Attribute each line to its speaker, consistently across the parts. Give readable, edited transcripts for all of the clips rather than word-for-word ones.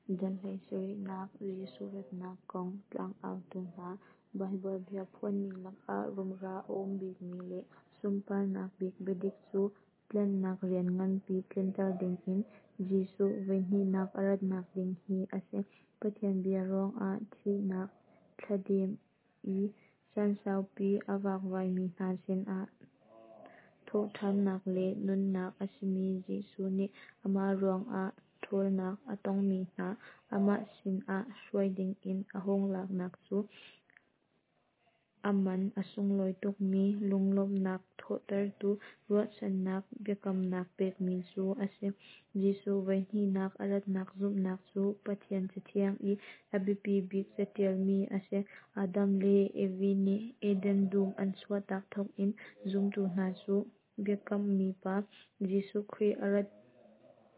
Speaker 1: Dal 17nak Jesuh ratnak kong tlangautu hna. Baibal bia phuanmi lakah rumra a um bikmi le sunparnak bik biadik cu tlanhnak rian nganpi tlinter dingin Jesuh voihnihnak a ratnak ding hi a si. Pathian bia ruangah thihnak thladem i caan saupi a vakvaimi hna sinah thawhṭhannak le nunnak a simi Jesuh nih amah ruangah ṭhawlnak a tongmi hna amah sinah hruai dingin a hung laknak cu a man a sunglawi tukmi lunglawmhnak thawhtertu ruahchannak biakamnak pekmi cu a si. Jesuh voihnihnak a ratnak zumhnak cu Pathian Cathiang i a biapi bik caṭialmi a si. Adam le Evi nih Eden dum an chuahtak thawkin zumtu hna cu biakammi pa, Jesuh Khrih a rat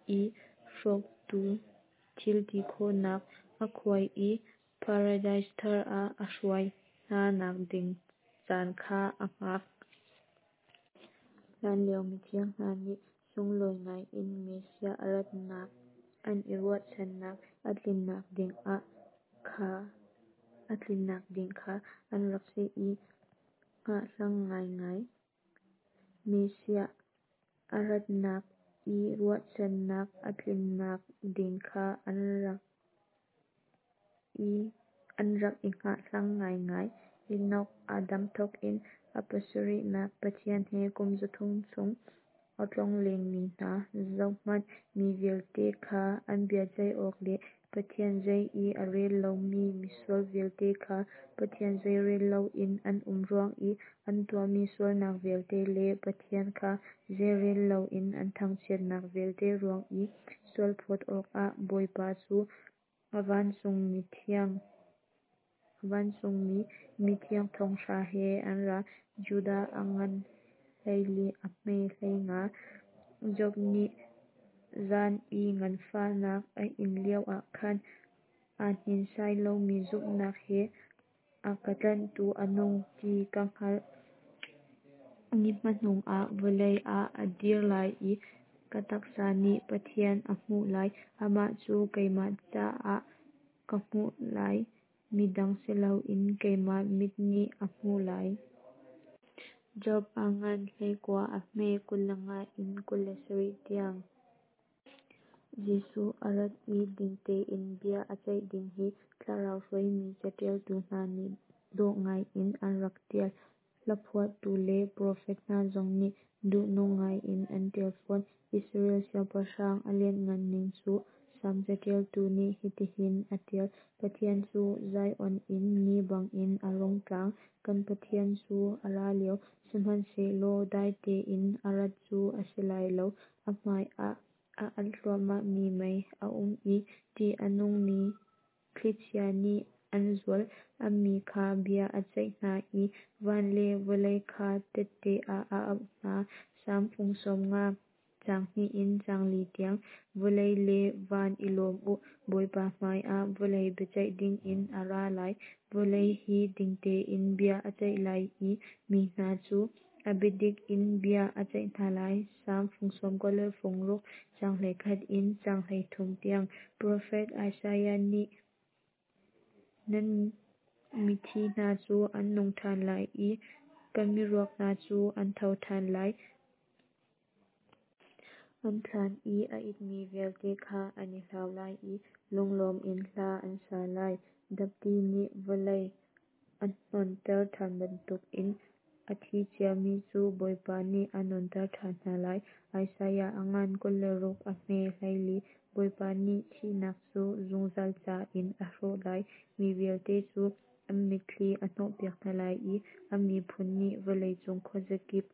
Speaker 1: i hrawktu thil ti khawhnak a khuai i paradis thar ah a hruai hna nak ding caan kha a hngak. Hlanlio mithiang hna nih sunglawi ngaiin Messiah a ratnak an i ruahchannak a tlinnak ding kha an rak i hngahhlang ngaingai. Messiah a ratnak i ruahchannak a tlinnak ding kha an rak i hngahhlang ngaingai. Enoch, Adam thawkin a pasarihnak, Pathian he kum 300 chung a tlonglengmi hna, Zohhmanh, mi vialte kha an biaceih awk le Pathian zei i a rel lomi misual vialte kha Pathian zeirel loin an um ruang i an tuahmi sualnak vialte le Pathian kha zeirel loin an thangchiatnak vialte ruang i sualphawt awkah Bawipa cu a vancungmi mithiang thong hra he an ra. Judah a ngan 14 a hme 15. Job nih zan i nganfahnak a in lioah khan, aa hninsai lomi zumhnak he a ka tlanhtu a nung ti ka hngalh. Ni hmanung ah vawlei ah a dir lai i ka taksa nih Pathian a hmuh lai. Amah cu keimah caah ka hmuh lai, midang si loin keimah mit nih a hmuh lai. Job a ngan 19 a hme 25 in 27 tiang. Jesuh a rat i ding tein bia a ceih ding hi Thlarau hruaimi caṭialtu hna nih dawh ngaiin an rak ṭial. Hlaphuahtu le profet hna zong nih duhnung ngaiin an ṭial fawn. Israel siangpahrang a lianhngan ning cu Salm caṭialtu nih hitihin a ṭial: Pathian cu Zion in ni bangin a rung tlang, kan Pathian cu a ra lio. Sihmanhsehlaw dai tein a rat cu a si lai lo, a hmaiah a alh hluahmahmi mei a um i ṭih a nungmi thlichia nih an zulh. A mi kha bia a ceih hna i van le vawlei kha tehte ah a auh hna. Salm fung 50, caang 2 in caang 4 tiang. Vawlei le van i lawm u, Bawipa hmaiah vawlei biaceih dingin a ra lai. Vawlei hi ding tein bia a ceih lai i mi hna cu a biadik in bia a ceih hna lai. Salm fung 96, caang 11 in caang 13 tiang. Profet Isaiah nih nan mithi hna cu an nung ṭhan lai i kan miruak hna cu an tho ṭhan lai. An thlan i a itmi vialte kha an i hlau lai i lunglawm in hla an sa lai. Dapti nih vawlei a hnonter ṭhan bantukin a thi ciami cu Bawipa nih a nunter ṭhan hna lai. Isaiah a ngan 26 a hme 14. Bawipa nih thihnak cu zungzal ca in a hrawh lai. Mi vialte cu an mitthli a hnawhpiak hna lai i a miphun nih vawleicung khuazakip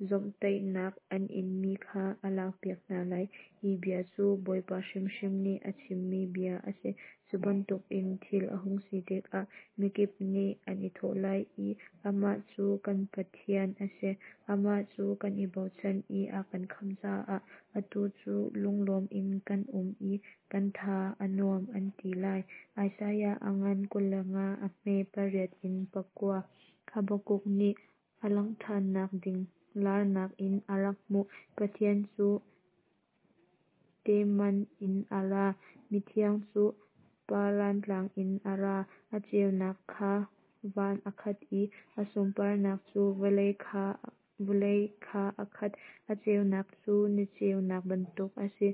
Speaker 1: zawmhtaihnak an inmi kha a lakpiak hna lai. Hi bia cu Bawipa hrimhrim nih a chimmi bia a si. Cu bantukin thil a hung si tikah mikip nih an i thawh lai i, Amah cu kan Pathian a si, amah cu kan i bochan i a kan khamh caah atu cu lunglawm in kan um i kan tha a nuam, an ti lai. Isaiah a ngan 25 a hme 8 in 9. Habakkuk nih a langh ṭhannak ding laarnak in a rak hmuh. Pathian cu Teman in a ra. Mithiang cu Paran Tlang in a ra, a ceunak kha van a khat i a sunparnak cu vawlei kha a khat. A ceunak cu ni ceunak bantuk a si,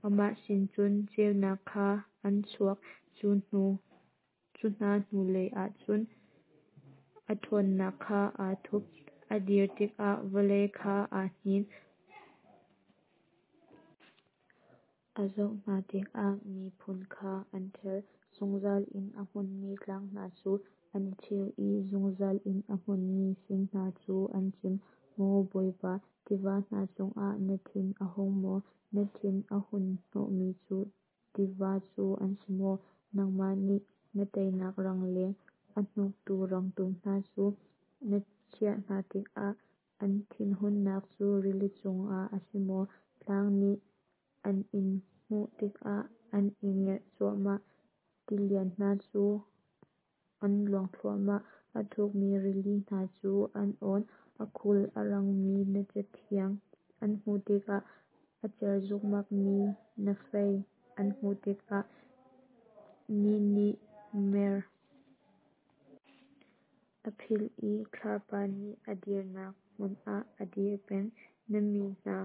Speaker 1: amah sin cun ceunak kha an chuak. Cu hna hnulei ah cun a ṭhawnnak kha aa thup. A dir tikah vawlei kha aa hnin. A zoh hna tikah miphun kha an ther. Zungzal in a hmunmi tlang hna cu an i cheu i zungzal in a hmunmi fing hna cu an cim. Maw Bawipa, tiva hna cungah na thin a hung maw? Na thin a hunhnawhmi cu tiva cu an si maw? Nangmah nih na teinak rangleng a hnuktu rangtum hna cu na chiah hna tikah, An thinhunnak cu rili cungah a si maw? Tlang nih an in hmuh tikah an i ngerh cuahmah, Tilian hna cu an luang thluahmah, A thukmi rili hna cu an awn. A khul a rangmi na cathiang an hmuh tikah, A cer zukmakmi na fei an hmuh tikah, Ni nih mer a philh i thlapa nih a dirnak hmun ah a dir peng. Na mi hna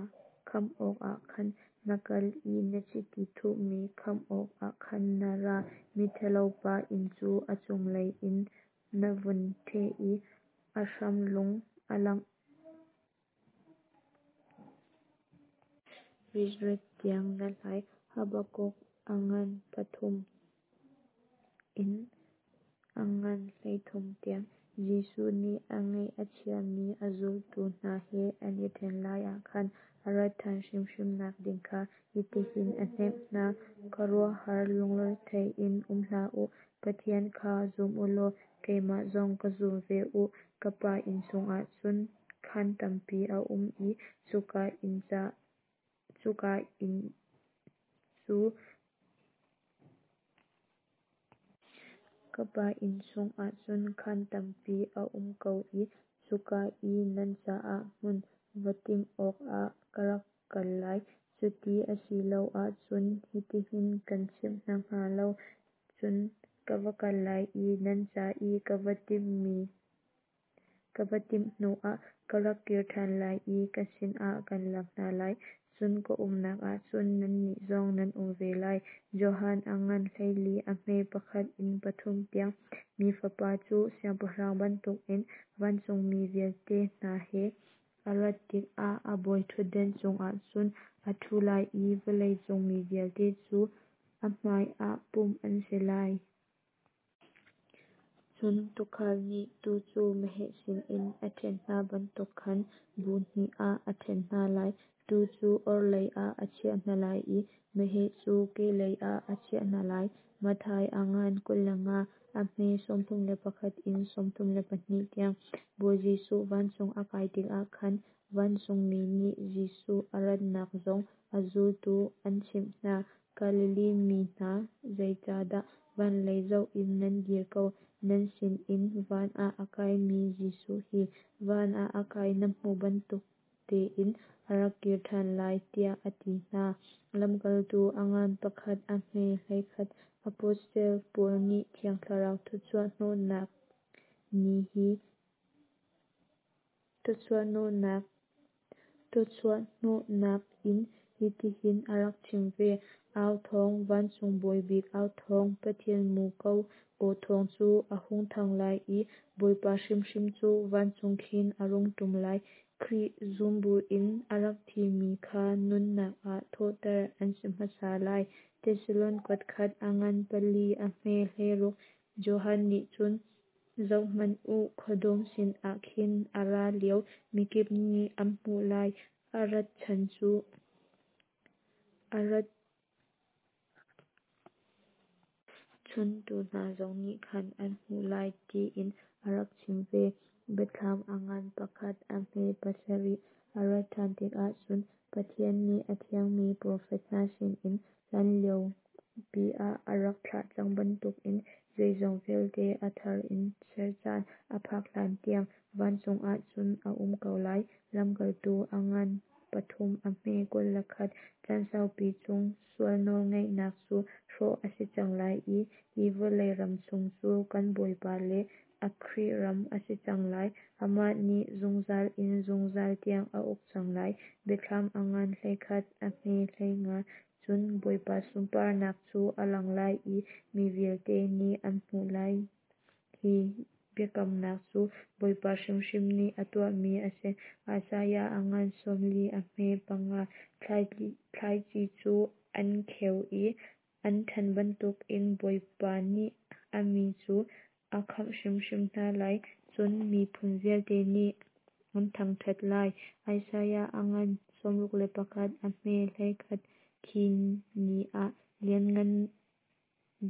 Speaker 1: khamh awkah khan na kal i na chiti thuhmi khamh awkah khan na ra. Miṭhalopa inn cu a cunglei in na vun ṭheh i a hram lung a langh ritret tiang na hlai. Habakkuk a ngan pathum in a ngan 13 tiang. Jesuh nih a ngaih a chiami a zultu hna he an i ṭhen lai ah khan a rat ṭhan hrimhrimnak ding kha hitihin a hnemh hna: Khuaruahhar lungrethei in um hlah u; Pathian kha zum u law keimah zong ka zum ve u. Ka Pa inn chungah cun khaan tampi a um i cuka inn cu Ka Pa inn chungah cun khaan tampi a um ko i cuka i nan caah hmun va timh awkah ka rak kal lai. Cuti a si lo ahcun hitihin kan chim hna hnga lo. Cun ka va kal lai i nan ca i ka va timh hnuah ka rak kir ṭhan lai i ka sinah kaan lak hna lai, cun ka umnak ah cun nannih zong nan um ve lai. Johan a ngan 14 a hme pakhat in pathum tiang. Mi Fapa cu siangpahrang bantukin vancungmi vialte hna he a rat tikah a bawiṭhutdan cungah cun a ṭhu lai i vawlei cung mi vialte cu a hmaiah pumh an si lai. Cun tuukhal nih tuu cu meheh sinin a ṭhen hna bantuk khan bu hnih ah a ṭhen hna lai. Tuu cu orhlei ah a chiah hna lai i meheh cu kehlei ah a chiah hna lai. Matthai a ngan 25 a hme 31 in 32 tiang. Bawi Jesuh vancung a kai tikah khan vancungmi nih Jesuh a ratnak zong a zultu an chimh hna. Galilee mi hna, zeicahdah van lei zoh in nan dir ko? Nan sinin van ah a kaimi Jesuh hi, van ah a kai nan hmuh bantuk tein a rak kir ṭhan lai, tiah a ti hna. Lamkaltu a ngan pakhat a hme 11. Apostle Paul nih Thiang Thlarau thawchuahhnawhnak in hitihin a rak chim ve: Au thawng, vancung bawi bik au thawng, Pathian muko aw thawng cu a hung thang lai i Bawipa hrimhrim cu vancung khin a rung ṭum lai. Khrih zum buin a rak thimi kha nunnak ah thawhter an si hmasa lai. Thesalon kuatkhat a ngan pali a hme 16. Johan nih cun, Zohhmanh u, khuadawm sinah khin a ra lio, mikip nih an hmuh lai, a rat chuntu hna zong nih khan an hmuh lai, tiin a rak chim ve. Biathlam a ngan pakhat a hme pasarih. A rat ṭhan tikah cun Pathian nih a thiangmi profet hna sinin hlanlio pi ah a rak thlah cang bantukin zeizong vialte a thar in ser caan a phak hlantiang vancung ah cun a um ko lai. Lamkaltu a ngan. pathum a hme 21. Caan saupi chung sual nawlngeihnak cu hrawh a si cang lai i hi vawlei ram chung cu kan Bawipa le a Khrih ram a si cang lai. Amah nih zungzal in zungzal tiang a uk cang lai. Biathlam a ngan 11 a hme 15. Cun Bawipa sunparnak cu a lang lai i mi vialte nih an hmuh lai. Hi biakamnak cu Bawipa hrimhrim nih a tuahmi a si. Isaiah a ngan 40 a hme panga. Thlaici cu an kheu i an ṭhan bantukin Bawipa nih a mi cu a khamh hrimhrim hna lai, cun miphun vialte nih an thangṭhat lai. Isaiah a ngan 61 a hme 11. Khi ni ah Lianngan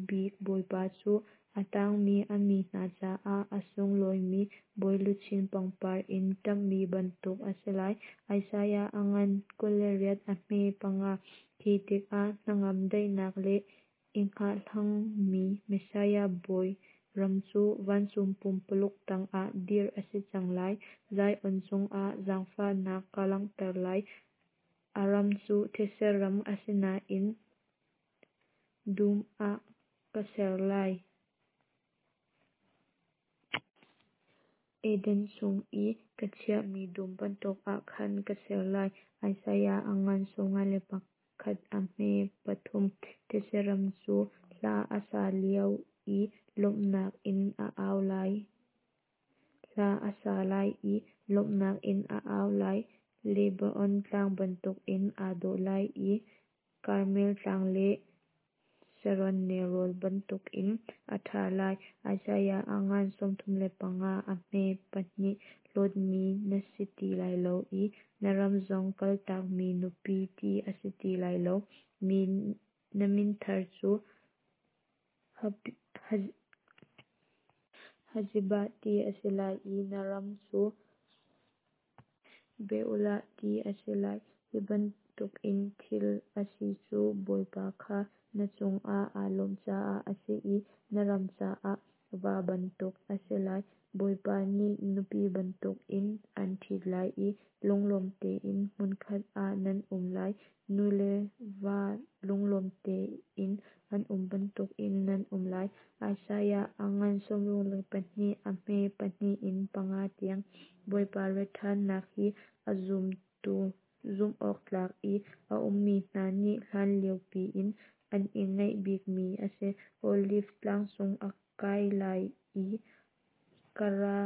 Speaker 1: Bik Bawipa cu a tangmi a mi hna caah a sunglawimi bawiluchin pangpar in ṭamhmi bantuk a si lai. Isaiah a ngan 28 a hme panga. Khi tikah hnangam daihnak le i hngahhlangmi Messiah Bawi ram cu vancung pumpuluk tangah dirh a si cang lai. Zion cungah zaangfahnak ka langhter lai. A ram cu thetse ram a si nain dum ah ka ser lai. Eden chung i ka chiahmi dum bantuk ah khan ka ser lai. Isaiah a ngan 51 a hme pathum. Thetse ram cu hla a sa lio i lawmhnak in a au lai. Hla a sa lai i lawmhnak in a au lai. Lebanon tlang bantukin aa dawh lai i Karmel tlang le Sharon nelrawn bantukin a ṭha lai. Isaiah a ngan 35 a hme pahnih. Hlawtmi na si ti lai lo i na ram zong kaltakmi nupi ti a si ti lai lo. Na min thar cu Hephzibah ti a si lai i na ram cu Beulah ti a si lai. Hi bantukin thil a si cu Bawipa kha na cungah aa lawmh caah a si i na ram caah va bantuk a si lai. Bawipa nih nupi bantukin an ṭhit lai i lunglawm tein hmunkhat ah nan um lai. Nu le va lunglawm tein an um bantukin nan um lai. Isaiah a ngan 62 a hme pahnih in panga tiang. Bawipa rat ṭhannak hi a zumtu zumhawktlak i a ummi hna nih hlan lio piin an i ngaih bikmi a si. Oliv tlangcung a kai lai i ka ra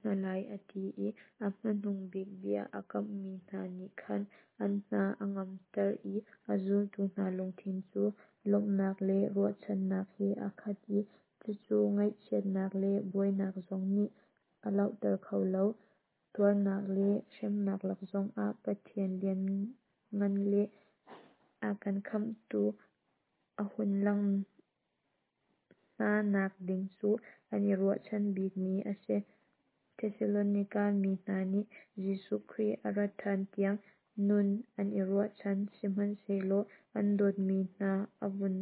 Speaker 1: hna lai a ti i a hmanung bik bia a kamhmi hna nih khan an hna a ngamter i a zultu hna lungthin cu lawmhnak le ruahchannak he a khat i cucu ngaihchiatnak le buainak zong nih a lohter kho lo. Tuarnak le hremnak lak zongah Pathian lianngan le a kan khamhtu a hun langh hna nak ding cu an i ruahchan bikmi a si. Thesalonika mi hna nih Jesuh Khrih a rat ṭhan tiang nun an i ruahchan, sihmanhsehlaw an dawtmi hna a vun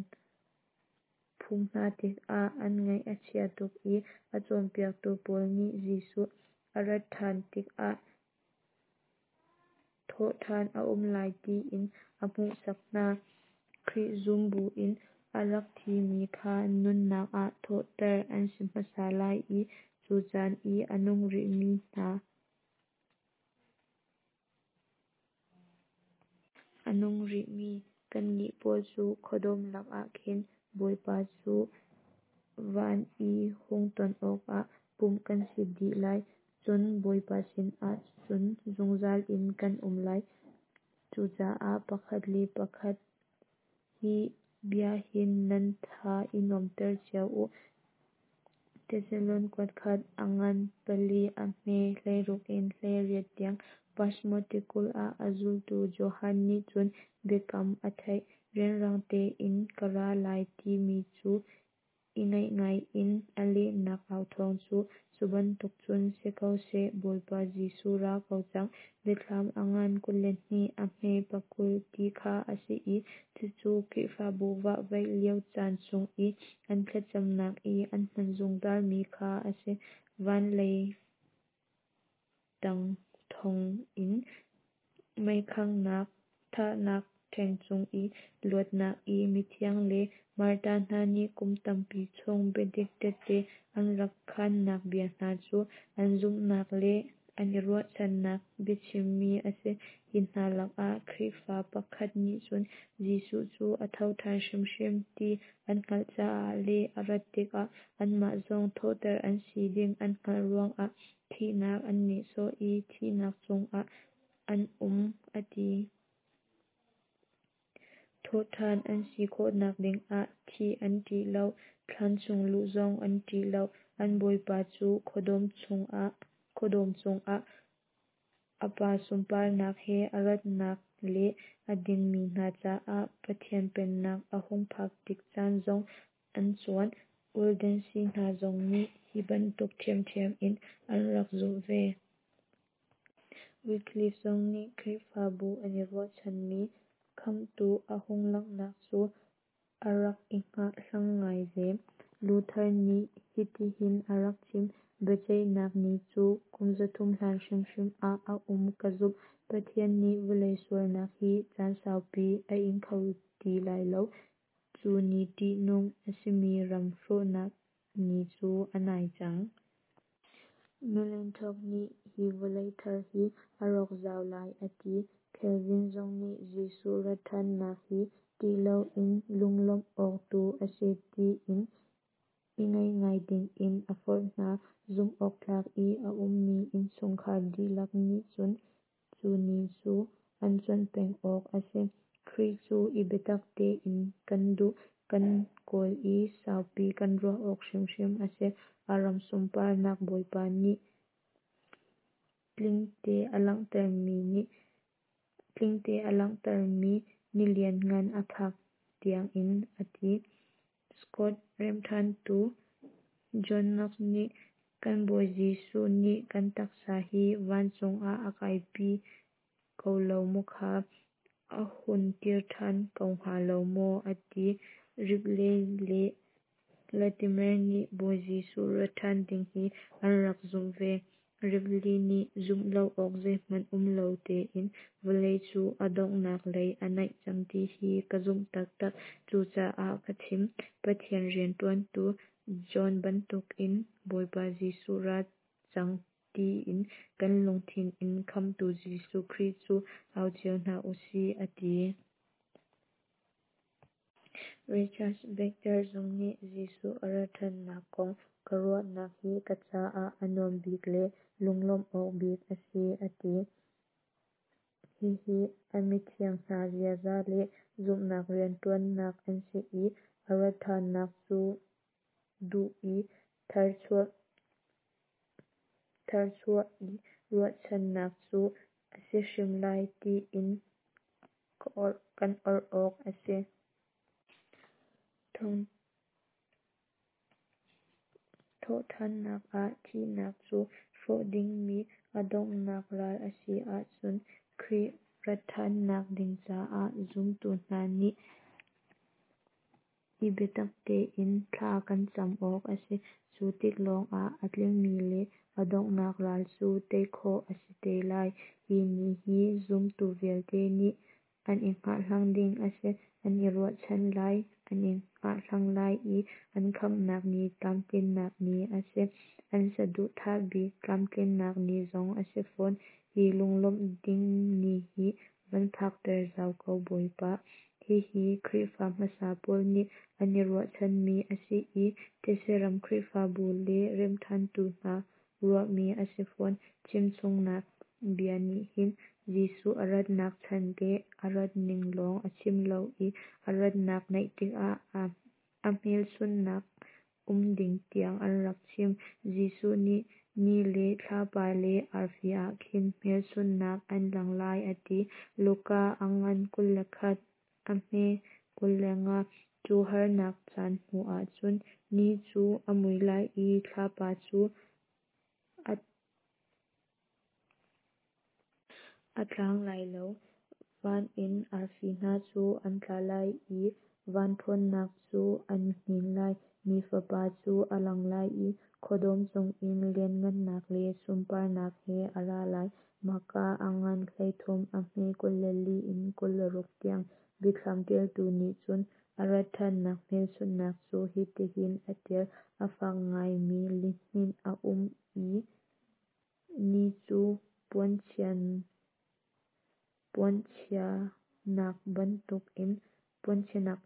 Speaker 1: phum hna tikah an ngaih a chia tuk i a cawnpiaktu pawl nih Jesuh a rat ṭhan tikah thawhṭhan a um lai tiin a hmuhsak hna. Khrih zum buin a rak thimi kha nunnak ah thawhter an si hmasa lai i cu caan i a nung rihmi hna a nung rihmi kannih pawl cu khuadawm lakah khin Bawipa cu van i hung ton awkah pumh kan si dih lai. Cun Bawipa sinah cun zungzal in kan um lai. Cucaah pakhat le pakhat hi bia hin nan tha i nuamhter cio u. Thesalon kuatkhat a ngan pali a hme 16 in 18 tiang. Patmos tikulh ah a zultu Johan nih cun biakam a theih. Rianrang tein ka ra lai timi cu i ngaih ngai in a lehnak authawng cu, cu bantuk cun si ko seh, Bawipa Jesuh ra ko cang. Biathlam a ngan 22 a hme pakul ti kha a si i cucu Khrihfabu vahvaih lio caan chung i an thlacamnak i an hman zungzalmi kha a si. Van lei tang thong inn, meikhanghnak thahnak ṭheng chung i luatnak i mithiang le martar hna nih kum tampi chung biadik tehte an rak khaannak bia hna cu an zumhnak le an i ruahchannak biachimmi a si. Hi hna lakah Khrihfa pakhat nih cun Jesuh cu a thoṭhan hrimhrim ti an hngalh caah le a rat tikah anmah zong thawhter an si ding an hngalh ruangah thihnak an nihsawh i thihnak chungah an um, a ti. Thawhṭhan an si khawhnak dingah thih an ṭih lo, thlan chung luh zong an ṭih lo. An Bawipa cu khuadawm cungah a Pa sunparnak he a ratnak le a dingmi hna caah Pathian pennak a hung phak tik caan zong an cuan. Waldensi hna zong nih hi bantuk ṭhiamṭhiam in an rak zumh ve. Wycliffe zong nih Khrihfabu an i ruahchanmi Khamhtu a hung langhnak cu a rak i hngahhlang ngai ve. Luther nih hitihin a rak chim: "Biaceihnak ni cu kum 300 hlan hrimhrim ah a um ka zumh. Pathian nih vawlei sualnak hi caan saupi a ing kho ti lai lo. Cu ni ṭihnung a simi ram hrawhnak ni cu a nai cang." Melanchthon nih hi vawlei thar hi a rawk zau lai a ti. Calvin zong nih Jesuh ratṭhannak hi ṭih loin lunglawmh awk tu a si tiin i ngaih ngai dingin a forh hna. Zumh awktlak i a ummi innchungkhar dihlak nih cun cu ni cu an cuanh peng awk a si. Khrih cu i biatak tein kan duh, kan kawl i saupi kan ruah awk hrimhrim a si. A ram sunparnak Bawipa nih tlingte a langhtermi ni lianngan a phak tiangin a ti. Scot remhṭhantu John Knox nih kan Bawi Jesuh nih kan taksa hi vancung ah a kaipi ko lo maw kha? A hun kir ṭhan ko hnga lo maw? a ti. Ripley le Latimer nih Bawi Jesuh rat ṭhan ding hi an rak zumh ve. Ripley nih zumh lo awk zeihmanh um lo tein vawlei cu a donghnak lei a naih cang ti hi ka zumh taktak. Cucaah ka chim. Pathian rianṭuantu John bantukin Bawipa Jesuh ra cang tiin kan lungthin in Khamhtu Jesuh Khrih cu au cio hna usih, a ti. Richard Baxter zong nih Jesuh a rat ṭhannak kong ka ruahnak hi ka caah a nuam bik le lunglawmh awk bik a si, a ti. Hihi a mithiang hna ziaza le zumhnak rianṭuannak an si i a rat ṭhannak cu duh i tharchuah i ruahchannak cu a si hrim lai tiin kan orh awk a si. Thawhṭhannak ah thihnak cu hrawh dingmi a donghnak ral a si ahcun Khrih ratṭhannak ding caah zumtu hna nih i biatak tein thla kan cam awk a si. Cu tik lawngah a tlingmi le a donghnak ral cu tei khawh a si te lai. Hi ni hi zumtu vialte nih an i hngahhlang ding a si. An i ruahchan lai, an i hngahhlang lai i an khamhnak ni tlamtlinnak ni a si. An saduhthah bik tlamtlinnak ni zong a si fawn. Hi lunglawmh ding ni hi van phakter zau ko Bawipa. Hihi Khrihfa hmasa pawl nih an i ruahchanmi a si i thetse ram Khrihfabu le remhṭhantu hna ruahmi a si fawn. Chimchungnak bia nih hin Jesuh a ratnak chan le a rat ning lawng a chim lo i a ratnak naih tikah a hmelchunhnak um ding tiang an rak chim. Jesuh nih ni le thlapa le arfi ah khin hmelchunhnak an lang lai a ti. Luka a ngan 21 a hme 25. Cu harnak caan hnu ahcun ni cu a mui lai i thlapa cu a tlang lai lo. Van in arfi hna cu an tla lai i van ṭhawnnak cu an i hnin lai. Mi Fapa cu a lang lai i khuadawm cungin lianhngannak le sunparnak he a ra lai. Mahka a ngan 13, a hme 24 in 26 tiang. Biathlam ṭialtu nih cun a rat ṭhannak hmelchunhnak cu hitihin a ṭial: A fak ngaimi lihninh a um i ni cu puanchia nak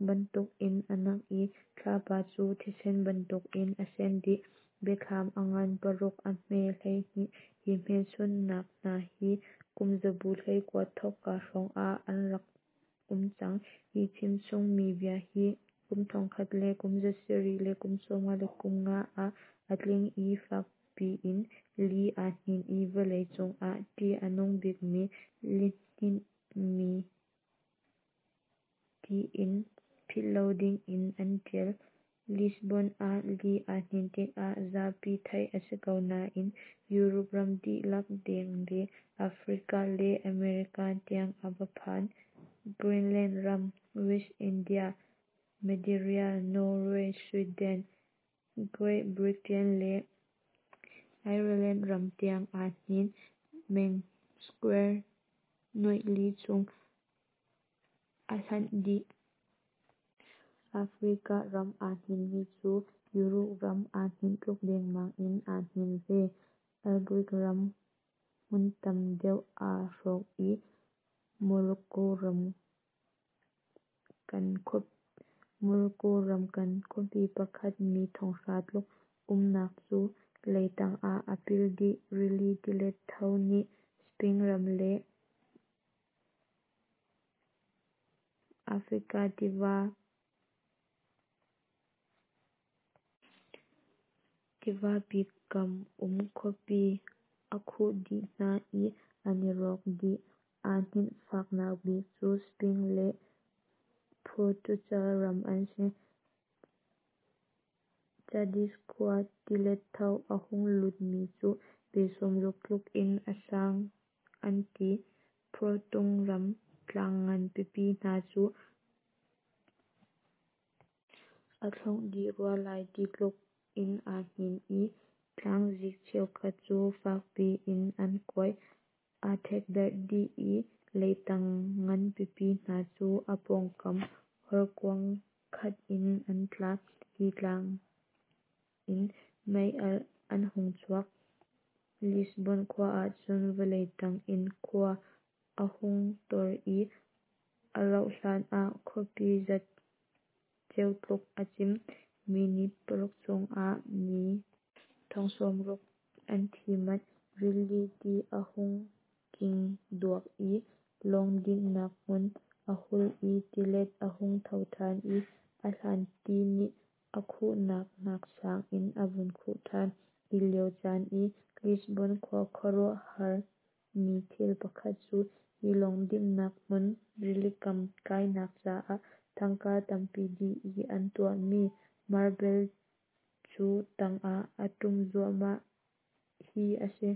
Speaker 1: bantukin a nak i thlapa cu thisen bantukin a sen dih. Biathlam a ngan 6, a hme 12. Hi hmelchunhnak hna hi kumzabu 19 thawkka hrawng ah an rak um cang. Hi chimchungmi bia hi kum 1795 ah a tling i fak piin li aa hnin i vawlei cung ah ṭih a nung bikmi lihninh tiin philh lo dingin an ṭial. Lisbon ah li aa hninh tikah zapi theih a si ko nain Europe ram dihlak deng le Africa le America tiang a va phan. Greenland ram, West India, Maderia, Norway, Sweden, Great Britain le Ireland ram tiang aa hnin. Meng square 4,000 chung a hlanh dih. Africa ram aa hninmi cu Europe ram aa hninh tluk dengmang in aa hnin ve. Algeria ram hmun tam deuh aa hrawk i Morocco ram kan khuapi pakhat mi 5,000 tluk umnak cu leitang ah a pil dih. Rili tilet tho nih Spain ram le Africa tivapi kam um khuapi a khuh dih hna i an i rawk dih. Aa hninh faknak bik cu Spain le Portugal ram an si. Cadiz khua tilet tho a hung lutmi cu pe 60 tluk in a sang an ti. Portung ram tlang ngan pipi hna cu a thlongh dih rua lai ti tluk in aa hnin i tlangzik cheukhat cu fak piin an kuai. Aa ṭhekdarh dih i leitang ngan pipi hna cu a pawngkam horkuang khat in an tla. Hi tlang in mei-alh an hung chuak. Lisbon khua ahcun vawlei tang in khua a hung tor i a rauh hlan ah khuapi zatceo tluk a cim. Minit 6 chung ah mi 60,000 an thi manh. Rili ti a hung king duak i lawng dinhnak hmun a hul i tilet a hung tho ṭhan i a hlan ti nih a khuhnak nak sang in a vun khuh ṭhan. Hi lio caan i Lisbon khua khuaruahhar mi thil pakhat cu hi lawng dinhnak hmun rilikam kainak caah tangka tampi dih i an tuahmi marbel cu tang ah a ṭum zuahmah hi a si.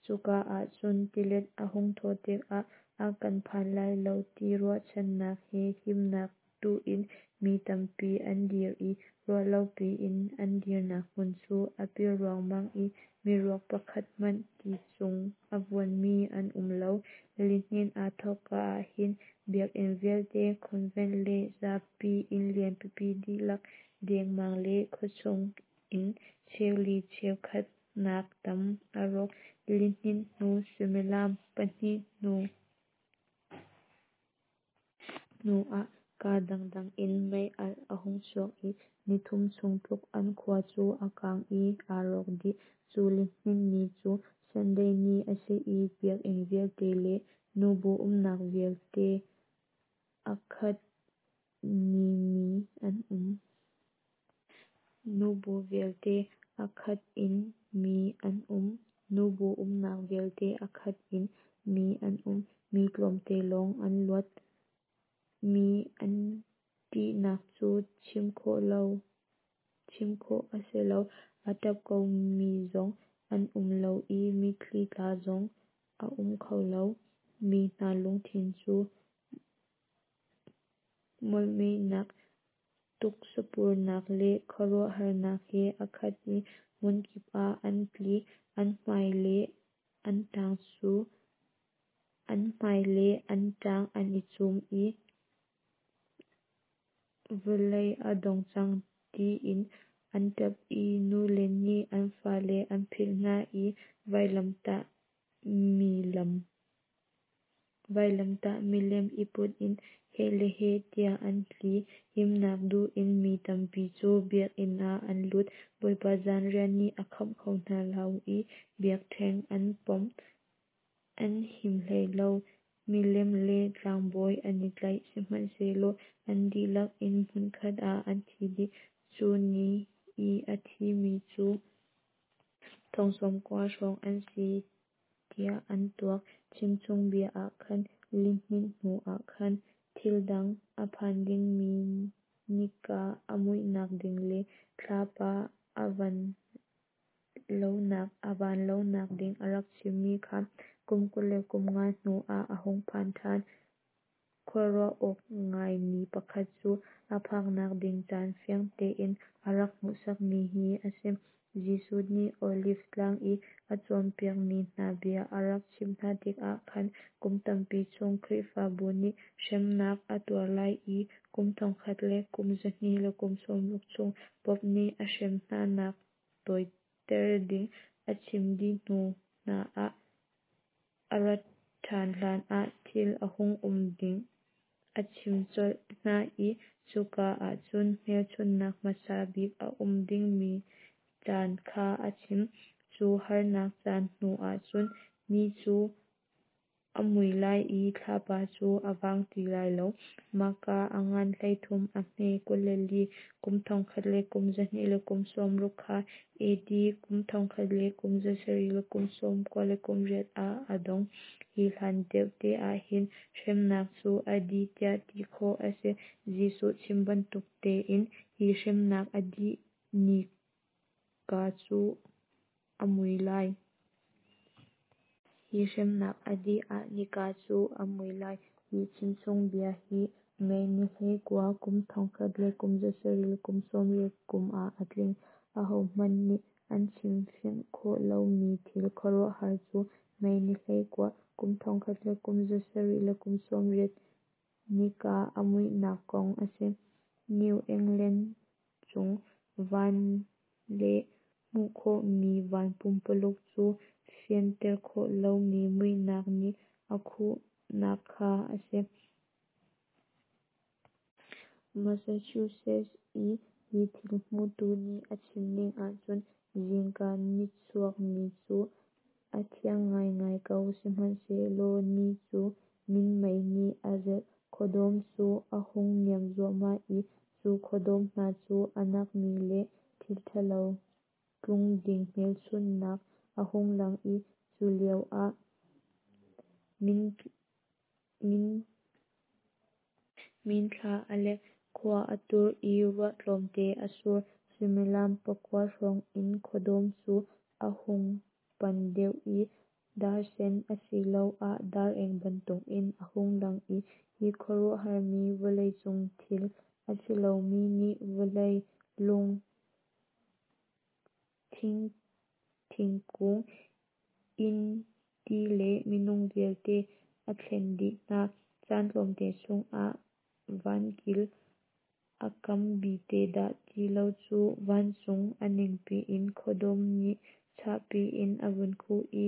Speaker 1: Cuka ahcun tilet a hung thawh tikah a kan phan lai lo ti ruahchannak he himnak duh in mi tampi an dir i ruahlo piin an dirnak hmun cu a pil ruangmang i miruak pakhat hmanh ti cung a vuanmi an um lo. Lihninh aa thawkka ahhin biakinn vialte, convent le zapi inn lian pipi dihlak dengmang le khuachung inn cheuli cheukhat nak tam a rawk. Lihninh hnu suimilam 2 hnu ah kaa dangdang in mei-alh a hung chuak i nithum chung tluk an khua cu a kang i aa rawk dih. Cu lihninh ni cu Sunday ni a si i biakinn vialte le nubu umnak vialte a khat ni mi an um. Nubu vialte a khat in mi an um. Nubu umnak vialte a khat in mi an um. Mi tlawmte lawng an luat. Mi an ṭihnak cu chim khawh a si lo. A ṭap komi zong an um lo i mitthli tla zong a um kho lo. Mi hna lungthin cu molhmehnak Tuksapurnak le khuaruahharnak he a khat i hmunkip ah an tli. An hmai le an ṭang cu an hmai le an ṭang an i cum i vawlei a dong cang tiin an ṭap i nule nih an fale an philh hna i vailamtah milem i put in heh le heh tiah an tli. Himnak duh in mi tampi cu biakinn ah an lut. Bawipa zanriah nih a khamh kho hna lo i biakṭheng an pom an him hlei lo. Milem le tlangbawi an i tlaih, sihmanhsehlaw an dihlak in hmunkhat ah an thi dih. Cu ni i a thimi cu 90,000 hrawng an si tiah an tuak. Chimchungbia ah khan lihninh hnuah khan thil dang a phan dingmi nika a muihnak ding le thlapa a van lonak ding a rak chimmi kha kum 25 hnuah a hung phan ṭhan. Khuaruah awk ngaimi pakhat cu a phaknak ding caan fiang tein a rak hmuhsakmi hi a si. Jesuh nih Oliv tlang i a cawnpiakmi hna bia a rak chimh hna tikah khan kum tampi chung Khrihfabu nih hremnak a tuar lai i kum 1260 chung Pope nih a hrem hnanak tawiter ding a chim dih hnu hna ah a rat ṭhan hlanah thil a hung um ding a chim colh hna i cuka ahcun hmelchunhnak hmasa bik a um dingmi caan kha a chim. Cu harnak caan hnuah cun ni cu a mui lai i thlapa cu a vang ti lai lo. Mahka a ngan 33 a hme 24, kum 1260 kha AD 1798 ah a dong. Hi hlan deuh te ah hin hremnak cu a dih tiah ti khawh a si. Jesuh chim bantuk tein hi hremnak a dih nika cu a mui lai. Hi hremnak a dih ah nika cu a mui lai. Hi chimchungbia hi May ni 19, kum 1780 kum ah a tling. Ahohmanh nih an chimfianh khawh lomi thil khuaruahhar cu May ni 19, kum 1780 nika a muihnak kong a si. New England cung van le hmuh khawhmi van pumpuluk cu fianter khawh lomi muihnak nih a khuhnak kha a si. Massachusetts i hi thil hmutu nih a chimning ahcun zingka nichuak ni cu a thiang ngaingai ko, sihmanhsehlaw ni cu minmei nih a zelh. Khuadawm cu a hung niam zuahmah i cu khuadawm hna cu a nakmi le thil ṭhalo tlung ding hmelchunhnak a hung lang i cu lioah minthla a lek. Khua a tur i ruah tlawmte a sur. Suimilam 9 hrawng in khuadawm cu a hung pan deuh i darsen asiloah dar-eng bantukin a hung lang i hi khuaruahharmi vawleicung thil a si lomi nih vawlei, lung, thingkung, inn, ti le minung vialte a thlen dih hna. Caan tlawmte chungah vankil a kam bite dah ti lo cu vancung a ningpi in khuadawm nih chahpi in a vun khuh i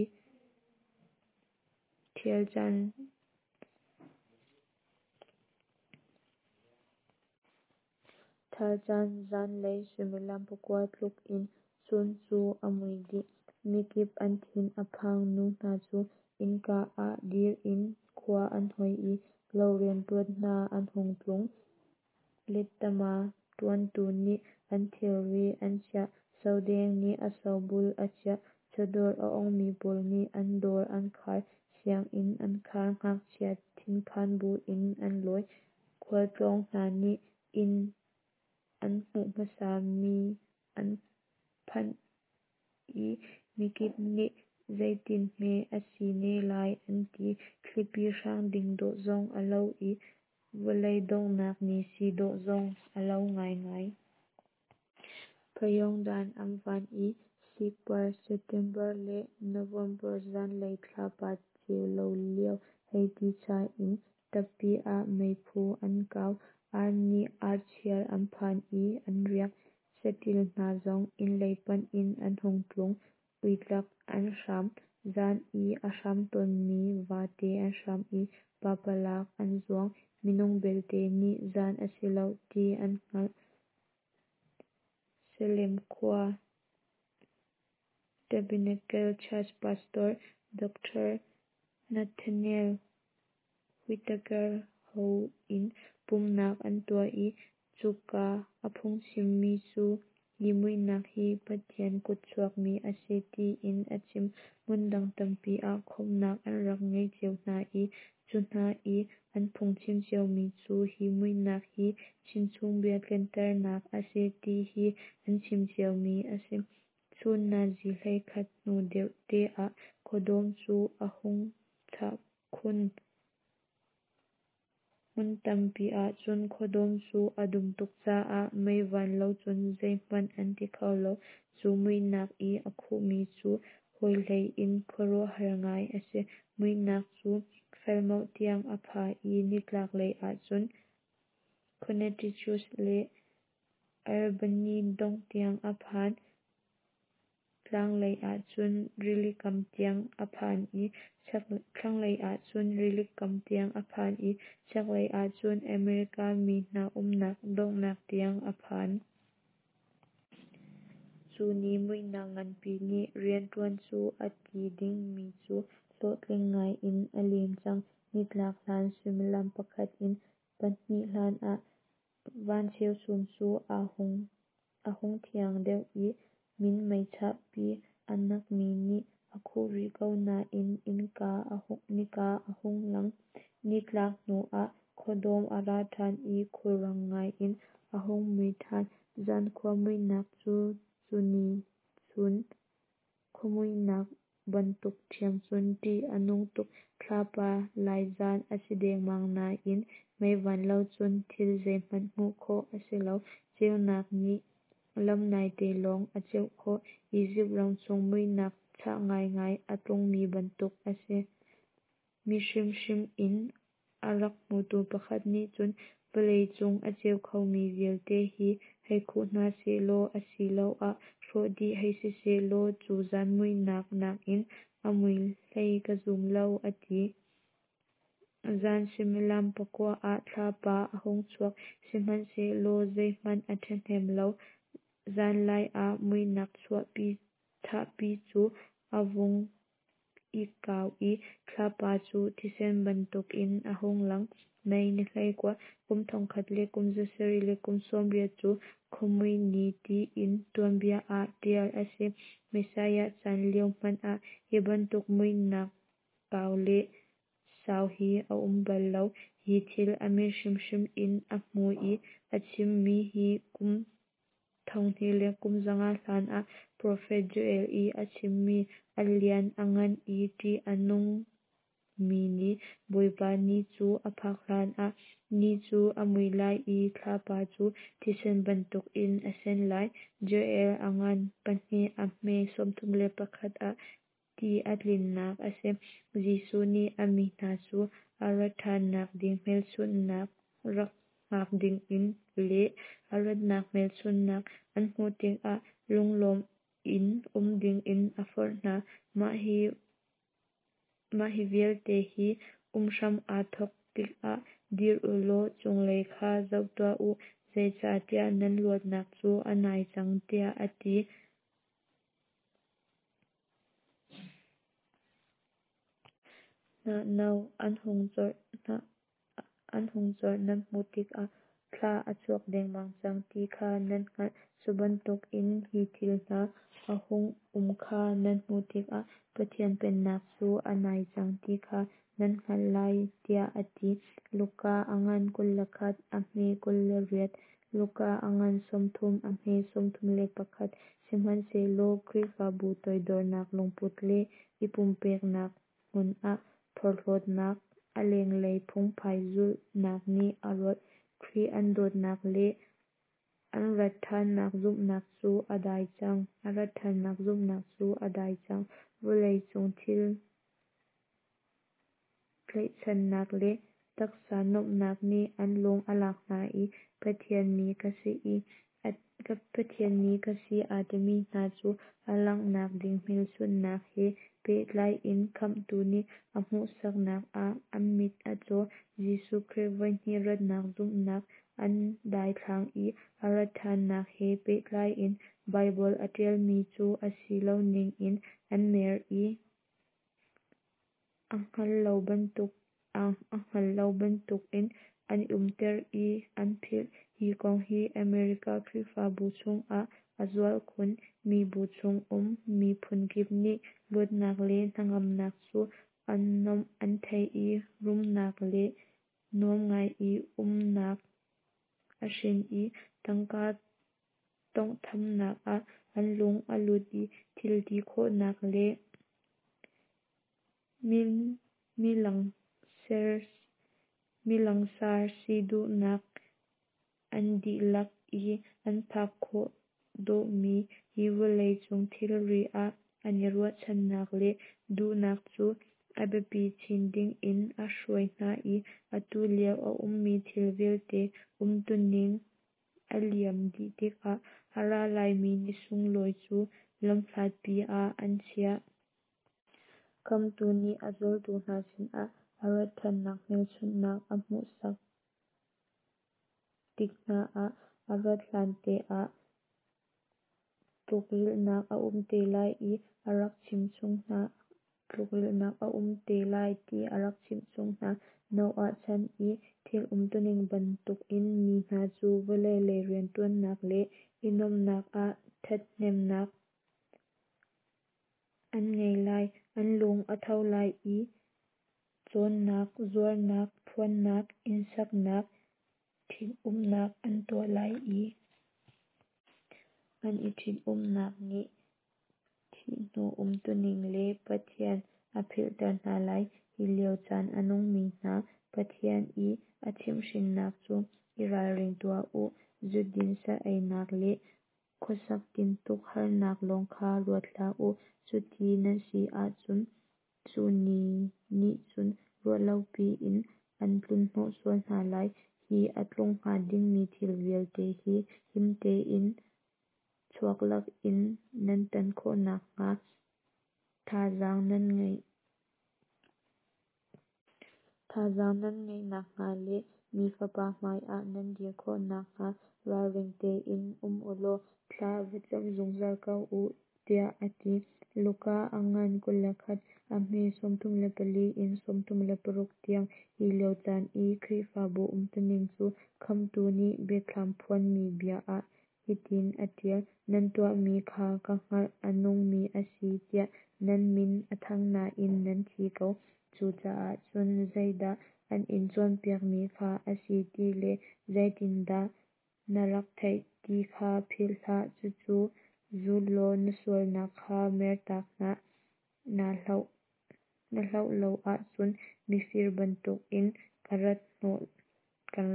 Speaker 1: ṭhal caan zanlei suimilam 9 tluk in chun cu a mui dih. Mikip an thin a phang. Nu hna cu innka ah dir in khua an hoi i lo rianṭuan hna an hung tlung. Lettama ṭuantu nih an thilri an chiah. Sodeng nih a sobul a chiah. Chawdawr a ongmi pawl nih an dawr an khar. Sianginn an khar. Ngakchia thinphan buin an lawi. Khualtlawng hna nih inn an hmuh hmasami an phanh i mikip nih zeitinhme a si ne lai an ti. Thlipi hrang ding dawh zong a lo i Vawlei donghnak ni si dawh zong a lo ngaingai. Phayawngdan an van i sikpar September le November zanlei thlapa ceu lo lio hei ti cha in tappi ah meiphu an kau. Ar nih archial an phan i an riak. Saṭil hna zong inn lei panh in an hung tlung. Uitlak an hram. Zan i a hram tawnmi vate an hram i papalak an zuang. Minung belte nih zan a si lo ti an hngalh. Salem khua Tabernacle Church Pastor Dr. Nathaniel Whitaker ho in pumhnak an tuah i cuka a phungchimmi cu hi muihnak hi Pathian kutchuakmi a si ti in a chim. Hmun dang tampi ah khawmhnak an rak ngei cio hna i cu hna i an phungchim ciomi cu hi muihnak hi chimchungbia tlinternak a si ti hi an chim ciomi a si. Chun nazi 11 hnu deuh te ah khuadawm cu a hung chah khun. Hmun tampi ahcun khuadawm cu a dum tuk caah mei van lo cun zeihmanh an ti kho lo. Cu muihnak i a khuhmi cu hawi hlei in khuaruahhar ngai a si. Muihnak cu Falmouth tiang a pha i nitlak lei ahcun Connecticut le Albany dongh tiang a phan. Tlanglei ahcun rilikam tiang a phan i thlanglei ahcun rilikam tiang a phan i chaklei ahcun America mi hna umnak donghnak tiang a phan. Cu ni muihnak nganpi nih rianṭuan cu a ti dingmi cu hlawhtling ngai in a lim cang. Nitlak hlan suimilam pakhat in pahnih hlan ah van cheuchum cu a hung thiang deuh i minmei chahpi a nakmi nih a khuh rih ko nain nika a hung lang. Nitlak hnu ah khuadawm a ra ṭhan i khulrang ngai in a hung mui ṭhan. Zankhua muihnak cu cu ni chun khuamuihnak bantuk ṭhiam cun ṭih a nung tuk. Thlapa lai zan a si dengmang nain meivan lo cun thil zeihmanh hmuh khawh a si lo. Ceunak nih lam naite lawng a ceuh khawh. Izipt ram chung muihnak chah ngaingai a tlungmi bantuk a si. Mit hrimhrim in a rak hmutu pakhat nih cun vawlei cung a ceu khomi vialte hi hei khuh hna sehlaw asiloah hrawh dih hei si sehlaw cu zan muihnak nakin a mui hlei ka zum lo a ti. Zan suimilam pakua ah thlapa a hung chuak, sihmanhsehlaw zeihmanh a ṭhahnem lo. Zanlai ah muihnak chahpi cu a vung i kau i thlapa cu thisen bantukin a hung lang. May ni 19, kum 1780 cu Khuamui Ni tiin tuanbia ah ṭial a si. Messiah chan lio hmanh ah hi bantuk muihnak kau le sau hi a um bal lo. Hi thil a mit hrimhrim in a hmu i a chimmi hi kum 2500 hlan ah profet Joel i a chimmi a lian a ngan i ṭih a nungmi ni, Bawipa ni cu a phak hlanah, ni cu a mui lai i thlapa cu thisen bantukin a sen lai. Joel a ngan pahnih a hme 31 ah ti a tlinnak a si. Jesuh nih a mi hna cu a rat ṭhannak ding hmelchunhnak rak hngak dingin le a ratnak hmelchunhnak an hmuh tikah lunglawm in um dingin a forh hna. Mah hi vialte hi um hram aa thawk tikah dir u law cunglei kha zoh tuah u, zeicahtiah nan luatnak cu a nai cang, tiah a ti. Hnah no an hung corh nan hmuh tikah thla a chuak dengmang cang ti kha nan hngalh. Cu bantukin hi thil hna a hung um kha nan hmuh tikah Pathian Pennak cu a nai cang ti kha nan hngalh lai, tiah a ti. Luka a ngan 21 a hme 28, Luka a ngan 30 a hme 31. Sihmanhsehlaw Khrihfabu toidornak lungput le i pumpeknak hmun ah phorhlawtnak a lenglei phungphai zulhnak nih a rawlh. Khrih an dawtnak le an rat ṭhannak zumhnak cu a dai cang. A rat ṭhannak zumhnak cu a dai cang. Vawlei cung thil tlaihchannak le taksa nuamhnak nih an lung a lak hna i Pathian mi ka si i Pathian mi ka si aa timi hna cu a langhnak ding hmelchunhnak he pehtlai in Khamhtu nih a hmuhsaknak ah an mit a caw. Jesuh Khrih voihnih ratnak zumhnak an daithlang i a rat ṭhannak he pehtlai in Baibal a ṭialmi cu a si lo ning in an mer i a hngal lo bantukin an i umter i an philh. Hi kong hi America Khrihfabu chungah a zual khun. Mibu chungum miphun kip nih luatnak le hnangamnak cu a nuamh an thei i rumnak le nuam ngai i umnak a hrin i tangka tonghthamnak ah an lung a lut i thil ti khawhnak le milangsar si duhnak an dihlak i an phak khawh dawhmi hi vawlei cung thilri ah an i ruahchannak le duhnak cu a biapi chin ding in a hruai hna i atu lio a ummi thil vialte umtuning a liam dih tikah a ra laimi ni sunglawi cu lamhlatpi ah an chiah. Khamhtu nih a zultu hna sinah a rat ṭhannak hmelchunhnak a hmuhsak tik hna ah a rat hlante ah tlukrilhnak a um te lai i a rak chimh chung hna. Tlukrilhnak a um te lai ti a rak chimh chung hna. Noah chan i thil umtuning bantukin mi hna cu vawlei lei rianṭuannak le i nuamhnak ah ṭhathnemnak an ngei lai. An lung a tho lai i cawnnak, zuarnak, phuannak, innsaknak, ṭhit-umhnak an tuah lai i an i ṭhit-umhnak nih thih hnu umtuning le Pathian a philhter hna lai. Hi lio caan a nungmi hna Pathian i a chimhhrinnak cu i ralring tuah u, zudin sa-einak le khuasak tintuk harnak lawng kha ruat hlah u, cuti nan si ahcun cu ni nih cun ruah lopi in an tlunhnawh sual hna lai. Hi a tlung hnga dingmi thil vialte hi him tein chuak lakin nan tan khawh nakhnga thazaang nan ngeih Thazaang nan ngeih nakhnga le Mi Fapa hmaiah nan dir khawh nakhnga ralring tein um u law thla va cam zungzal ko u, tiah a ti. Luka a ngan 21, a hme 34 in 36 tiang. Hi lio caan i Khrihfabu umtuning cu Khamhtu nih Biathlam phuanmi bia ah hitin a ṭial: Nan tuahmi kha ka hngalh, a nungmi a si tiah nan min a thang nain nan thi ko. Cucaah cun zeidah an in cawnpiakmi kha a si ti le zeitindah na rak theih ti kha philh hlah, cucu zul law na sualnak kha mertak hna. Naa hloh lo ahcun mifir bantukin kan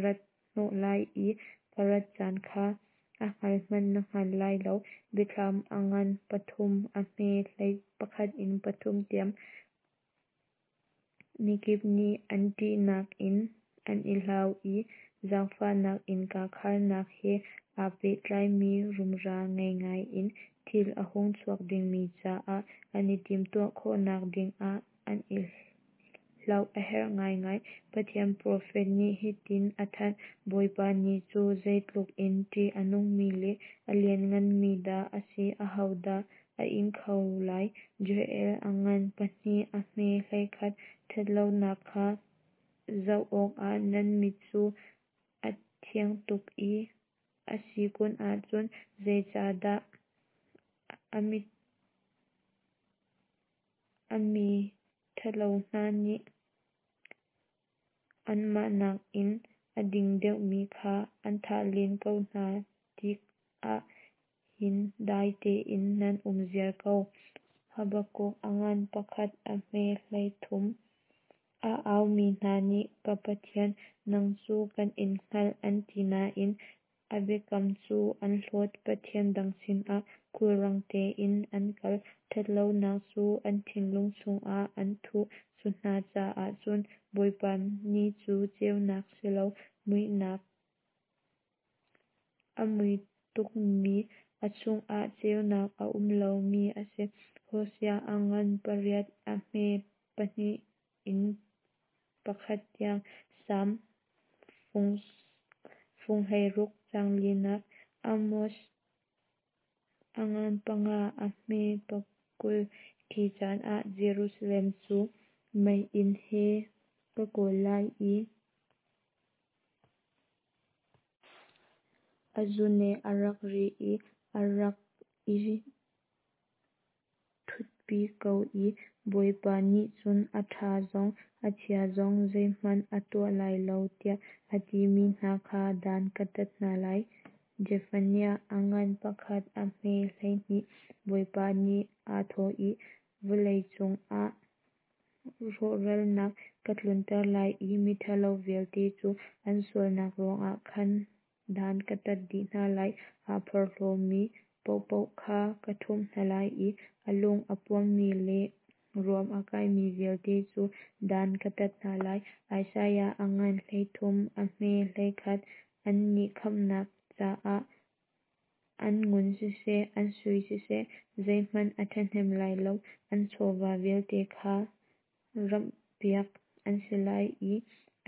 Speaker 1: rat hnawh lai i ka rat caan kha a hngal hmanh na hngal lai lo. Biathlam a ngan pathum, a hme 11 in pathum tiang. Mikip nih an ṭihnak in an i hlau i zaangfahnak innka kharnak he aa pehtlaimi rumra ngei ngai in thil a hung chuak dingmi caah an i timhtuah khawhnak dingah an i hlauh a herh ngaingai. Pathian profet nih hitin a thanh: Bawipa ni cu zeitluk in ṭih a nungmi le a liannganmi dah a si, ahodah a ing kho lai? Joel a ngan pahnih, a hme 11. Ṭhatlonak kha zoh awkah nan mit cu a thiang tuk i a si kun ahcun zeicahdah a mi ṭhalo hna nih anmah nakin a ding deuhmi kha an thah len ko hna tikah hin dai tein nan um ziar ko? Habakkuk a ngan pakhat, a hme 13. A aumi hna nih, Ka Pathian, nang cu kan in hngalh, an ti nain a biakam cu an hlawt; pathian dang sinah khulrang tein an kal. Ṭhat lonak cu an thinlung chungah an thuh; Cu hna caah cun Bawipa ni cu ceunak si lo, muihnak, a mui tukmi, a chungah ceunak a um lomi a si. Hosea a ngan pariat a hme pahnih in pakhat tiang. Salm fung 16 caang linak. Amos a ngan panga a hme 20. Khi caan ah Jerusalem cu meiinn he ka kawl lai i A zune a rak ri i a rak i ṭhutpi ko i Bawipa nih cun a ṭha zong a chia zong zeihmanh a tuah lai lo tiah a timi hna kha dan ka tat hna lai. Jefaniah a ngan pakhat a hme 12. Bawipa nih aa thawh i, Vawlei cungah rawhralnak ka tlunter lai i miṭhalo vialte cu an sualnak ruangah khan dan ka tat dih hna lai. Aa porhlawmi paohpaoh kha ka ṭhumh hna lai i a lung a puammi le ruam a kaimi vialte cu dan ka tat hna lai. Isaiah a ngan 33 a hme 11. Annih khamhnak caah an ngun siseh, an sui siseh, zeihmanh a ṭhahnem lai lo. An chawva vialte kha ramhpiak an si lai i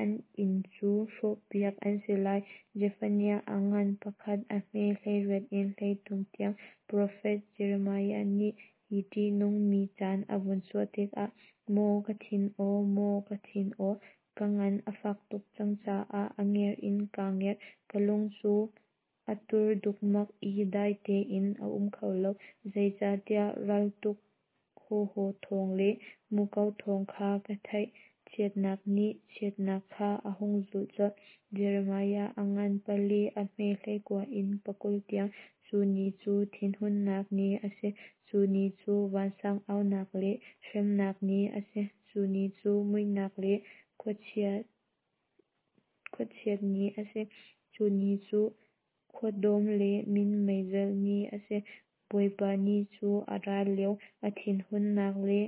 Speaker 1: an inn cu hrawhpiak an si lai. Jefaniah a ngan pakhat a hme 18 in 33 tiang. Profet Jeremiah nih hi ṭihnungmi caan a vun chuah tikah, Maw ka thin aw, maw ka thin aw, ka ngan a fak tuk cang caah a ngerh in kaa ngerh. Ka lung cu a tur dukmak i dai tein a um kho lo, zeicahtiah raltuk hawhraw thawng le muko thawng kha ka theih. Chiatnak nih chiatnak kha a hung zulh colh. Jeremiah a ngan pali a hme 19 in 20 tiang. Cu ni cu thinhunnak ni a si, cu ni cu vansang aunak le hremnak ni a si, cu ni cu muihnak le khuachiat ni a si, cu ni cu khuadawm le minmei zelh ni a si. Bawipa ni cu a ra lio, a thinhunnak le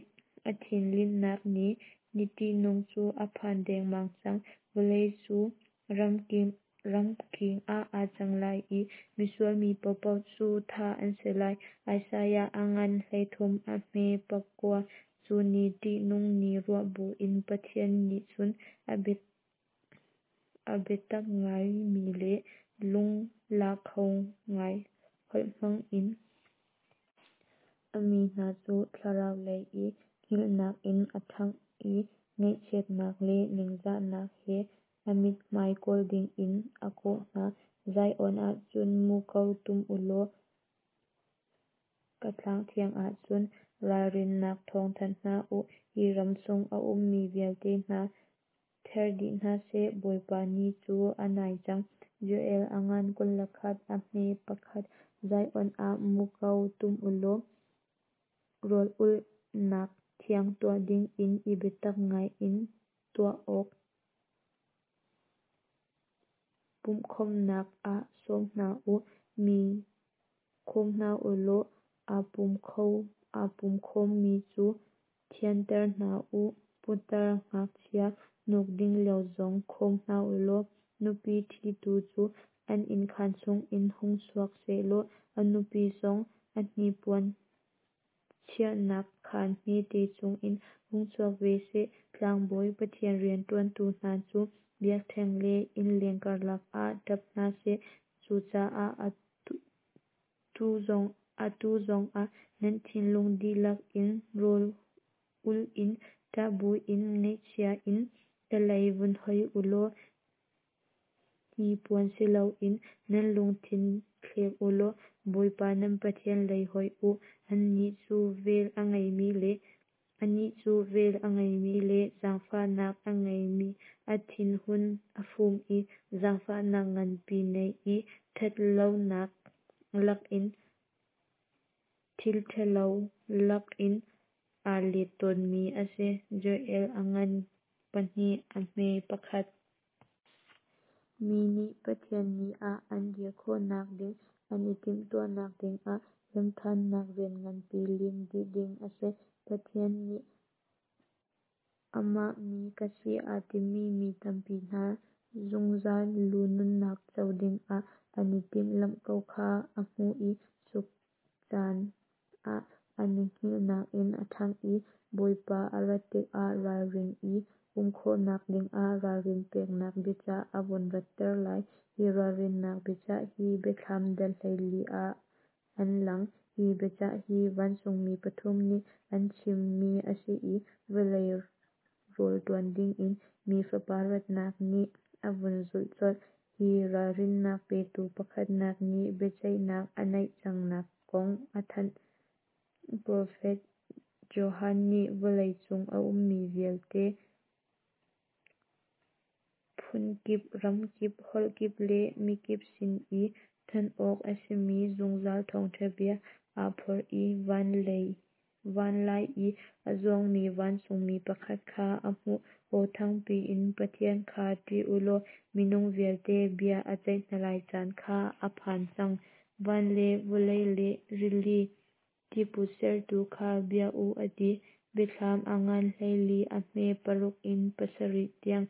Speaker 1: a thinlinhnak ni, ni ṭihnung cu a phan dengmang cang. Vawlei cu ramking ah aa cang lai i misual mi paohpaoh cu thah an si lai. Isaiah a ngan 33 a hme 9. Cu ni ṭihnung ni ruah buin Pathian nih cun a biatak ngaimi le lungla kho ngai holh hmang in a mi hna cu thlarau lei i hngilhnak in a ṭhangh i ngaihchiatnak le ningzahnak he a mithmai kawl dingin a kawh hna. Zion ah cun muko tum u law ka tlang thiang ah cun ralrinnak thawng thanh hna u. Hi ram chung a ummi vialte hna, ther dih hna seh, Bawipa ni cu a nai cang. Joel a ngan 21 a hme pakhat. Zion ah muko tum u law rawl ulhnak thiang tuah dingin i biatak ngaiin tuah awk pumhkhawmhnak ah sawm hna u. Mi khawm hna u law aa pum khawmmi cu thianter hna u. Putar ngakchia hnuk ding lio zong khawm hna u law nupi ṭhitu cu an innkhaan chungin hung chuak seh law a nupi zong a hnipuan chiahnak khaan hmete chungin hung chuak ve seh. Tlangbawi Pathian rianṭuantu hna cu biakṭheng le innleng karlak ah ṭap hna seh. Cucaah atu zongah nan thinlung dihlak in rawl ul in, ṭah buin, ngaihchia in ka lei vun hoi u law hnipuan si loin nan lungthin thlek u law Bawipa nan Pathian lei hoih u. Annih cu vel a ngeimi le Anih cu vel a ngeimi le zaangfahnak a ngeimi, a thinhun a fum i zaangfahnak nganpi nei i ṭhatlonak lakin thil ṭhalo lakin aa let tawnmi a si. Joel a ngan. 2 a hme 1. Mi nih Pathian ni ah an dir khawhnak ding, an i timhtuahnak dingah remhṭhannak rian nganpi lim dih ding a si. Pathian nih amah mi ka si aa timi mi tampi hna zungzal nunnak co dingah an i timhlamh ko kha a hmuh i cu caan ah an i hngilhnak in a ṭhangh i Bawipa a rat tikah ralring i um khawhnak dingah ralrin peknak biacah a vun ratter lai. Hi ralrinnak biacah hi Biathlam dal 14 ah an lang. Hi biacah hi vancungmi pathum nih an chimmi a si i vawlei rawl ṭuan dingin Mi Fapa ratnak nih a vun zulh colh. Hi ralrinnak petu pakhatnak nih biaceihnak a naih cangnak kong a thanh. Profet Johan nih vawlei cung a ummi vialte, phunkip, ramkip, holhkip le mikip sin i thanh awk a simi zungzal thawngṭha bia aa phorh i van lai i a zuangmi vancungmi pakhat kha a hmuh. Aw thangpi in, Pathian kha ṭih u law minung vialte bia a ceih hna lai caan kha a phan cang. Van le vawlei le rili tiput sertu kha bia u, a ti. Biathlam a ngan 14 a hme 6 in 7 tiang.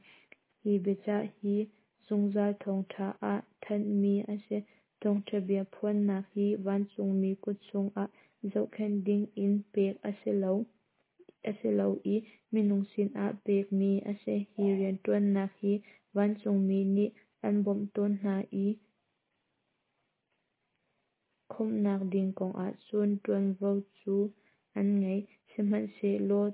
Speaker 1: Hi biacah hi zungzal thawngṭha ah thanhmi a si. Thawngṭha bia phuannak hi vancungmi kut chungah zohkhenh dingin pek a si lo i minung sinah pekmi a si. Hi rianṭuannak hi vancungmi nih an bawmh tawn hna i khawmhnak ding kongah cun ṭuanvo cu an ngei. Sihmanhsehlaw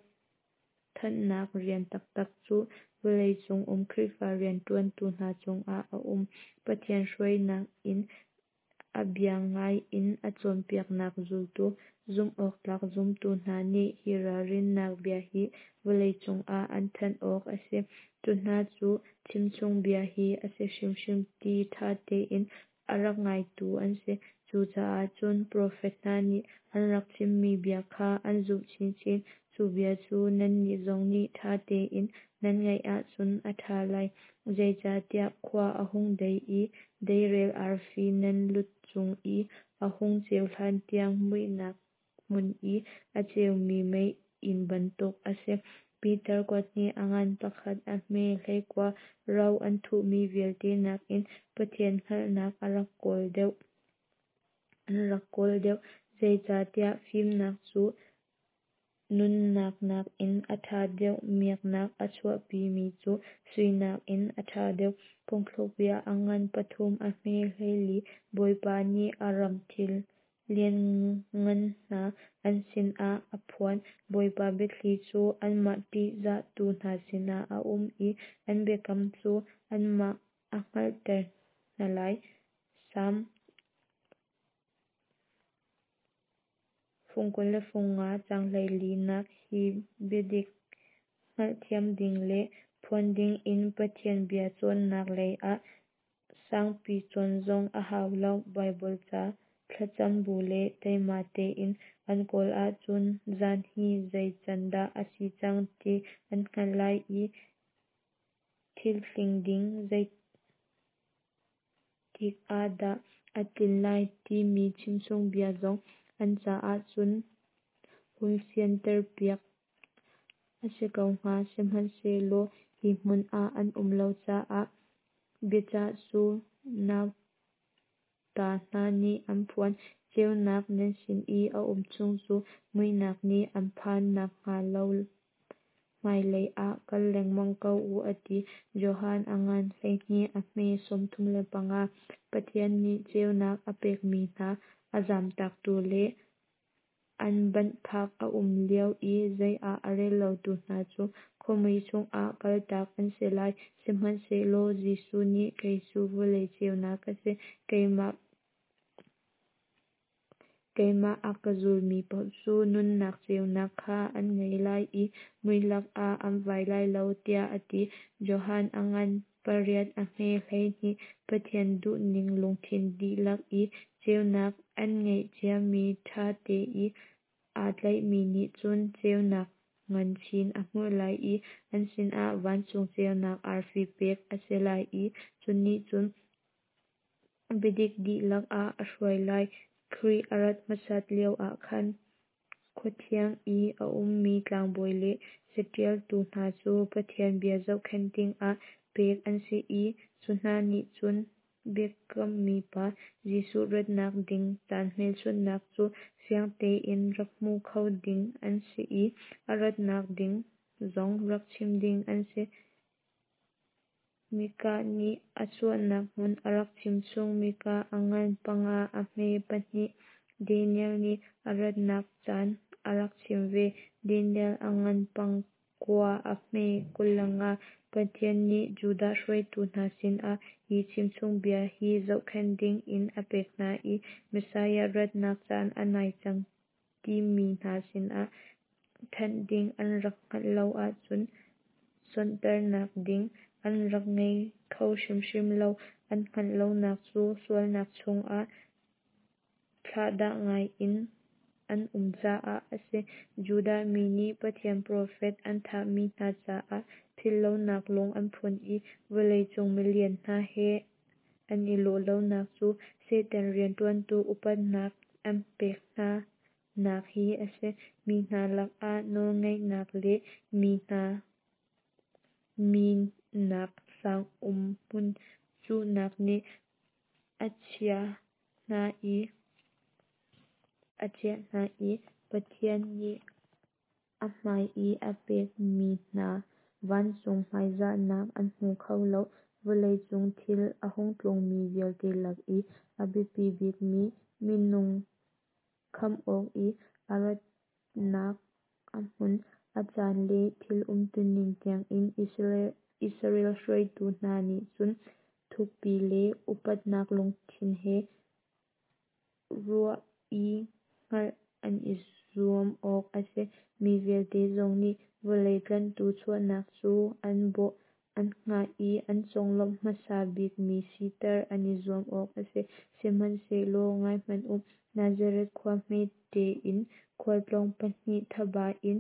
Speaker 1: thanhnak rian taktak cu vawleicung um Khrihfa rianṭuantu hna cungah a um. Pathian hruainak in a bia ngai in a cawnpiaknak zultu, zumhawktlak zumtu hna nih hi ralrinnak bia hi vawleicung ah an thanh awk a si. Cu hna cu chimchung bia hi a si hrimhrim ti ṭha tein a rak ngaitu an si. Cucaah cun profet hna nih an rak chimmi bia kha an zumh chinchin. Cu bia cu nannih zong nih ṭha tein nan ngaih ahcun a ṭha lai. Zeicahtiah khua a hung dei i deirel arfi nan lu cung i a hung ceu hlantiang muihnak hmun i a ceumi meiinn bantuk a si. Peter kuat hnih a ngan pakhat a hme 19. Ro an thuhmi vialte nakin Pathian hngalhnak an rak kawl deuh, zeicahtiah fimnak cu nunnak nakin a ṭha deuh, miaknak a chuahpimi cu sui nakin a ṭha deuh. Phungthlukbia a ngan pathum a hme 14. Bawipa nih a ram thil lianngan hna an sinah a phuan. Bawipa biathli cu anmah ṭihzahtu hna sinah a um i an biakam cu anmah a hngalhter hna lai. Salm 25 caang 14nak Hi biadik hngalhthiam ding le phuan dingin Pathian bia cawnnak lei ah sangpi cawn zong a hau lo. Baibal ca thlacam bu le teima tein an kawl ahcun zan hi zei can dah a si cang ti an hngalh lai i thil tling ding zeitik ah dah a tlin lai timi chimchung bia zong an caah cun hun fianterpiak a si ko hnga. Sihmanhsehlaw hi hmun ah an um lo caah biacah cu nauta hna nih an phuan. Ceunak nan sin i a um chung cu muihnak nih an phan nakhnga lo hmailei ah kal lengmang ko u, a ti. Johan a ngan 12 a hme 35. Pathian nih ceunak a pekmi hna a zamtaktu le an banhphak a um lio i zei ah a rel lotu hna cu khuamui chungah kaltak an si lai. Sihmanhsehlaw Jesuh nih kei cu vawlei ceunak ka si, keimah a ka zulmi paoh cu nunnak ceunak kha an ngei lai i muilak ah an vai lai lo, tiah a ti. Johan a ngan pariat a hme 12. Pathian duhning lungthin dihlak i ceunak an ngeih ciami ṭha te i aa tlaihmi nih cun ceunak ngan chin a hmuh lai i an sinah vancung ceunak arfi pek a si lai i cu nih cun biadik dihlak ah a hruai lai. Khrih a rat hmasat lioah khan khuathiang i a ummi tlangbawi le caṭialtu hna cu Pathian bia zohkhenh dingah pek an si i cu hna nih cun biakammi pa Jesuh ratnak ding caan hmelchunhnak cu fiang tein rak hmu kho ding an si i a ratnak ding zong rak chim ding an si. Mikah nih a chuahnak hmun a rak chimchung. Mikah a ngan panga, a hme pahnih. Daniel nih a ratnak caan a rak chim ve. Daniel a ngan pangkua, a hme 25. Pathian nih Judah hruaitu hna sinah hi chimchungbia hi zohkhenh ding in a pek hna i Messiah ratnak caan a nai cang ti mi hna sinah thanh ding an rak hngalh lo ahcun cawnternak ding an rak ngei kho hrimhrim lo. An hngalh lonak cu sualnak chungah thlahdah ngai in an um caah a si. Judah mi nih Pathian profet an thahmi hna caah philhlonak lung an phun i vawleicung milian hna he an i lawh lonak cu Satan rianṭuantu upatnak an pek hna nak hi a si. Mi hna lakah nawlngeihnak le mi hna minak sang umhmun cuhnak nih a chiah hna i Pathian nih a hmai i a pekmi hna vancung hmaizahnak an hmu kho lo. Vawleicung thil a hung tlungmi vialte lak i a biapi bikmi minung khamh awk i a ratnak a hmun, a caan le thil umtuning tiangin Israel hruaitu hna nih cun thukpi le upatnak lungthin he ruah i hngalh an i zuam awk a si. Mi vialte zong nih vawlei tlanhtu chuahnak cu an bawh, an hngah i an conglawmh hmasa bikmi siter an i zuam awk a si. Sihmanhsehlaw ngai hmanh u, Nazareth khua hmete in khualtlawng pahnih thaba in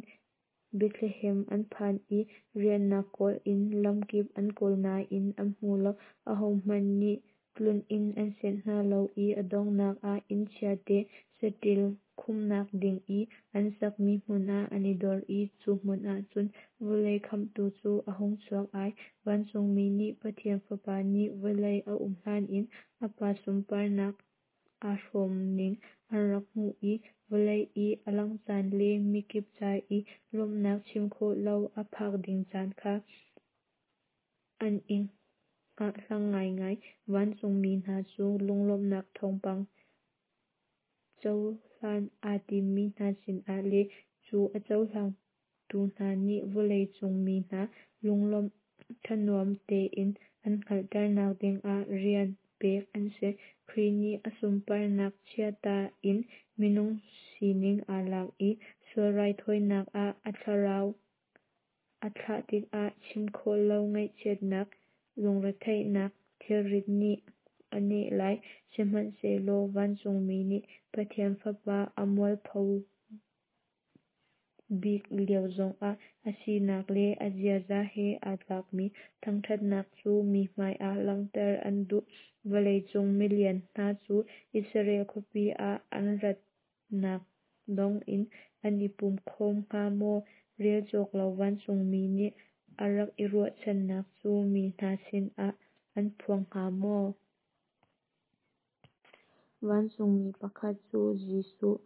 Speaker 1: Bethlehem an phan i riahnak kawl in lamkip an kawl nain an hmu lo. Ahohmanh nih tluninn an senh hna lo i a donghnak ah inn chiate saṭil khumhnak ding i an sakmi hmun ah an i dor i cu hmun ah cun vawlei khamhtu cu a hung chuak ai. Vancungmi nih Pathian Fapa nih vawlei a um hlan in a Pa sunparnak aa hrawmning an rak hmuh i vawlei i a langh caan le mikip ca i lawmhnak chim khawh lo a phak ding caan kha an i hngahhlang ngaingai. Vancungmi hna cu lunglawmhnak thawngpang cohlan aa timmi hna sinah le cu a cohlangtu hna nih vawleicung mi hna lunglawm thanuam tein an hngalhternak dingah rian pek an si. Khrih nih a sunparnak chiata in minung sining aa lak i sual raithawinak ah a thlarau a thlah tikah chim khawh lo ngaihchiatnak, lungretheihnak thilrit nih a neh lai. Sihmanhsehlaw vancungmi nih Pathian Fapa a mualpho bik lio zongah a sinak le a ziaza he aa tlakmi thangṭhatnak cu mi hmaiah langhter an duh. Vawleicung milian hna cu Israel khuapi ah an ratnak dong in an i pum khawm hnga maw? Rel cawk lo vancungmi nih a rak i ruahchannak cu mi hna sinah an phuang hnga maw? Vancungmi pakhat cu Jesuh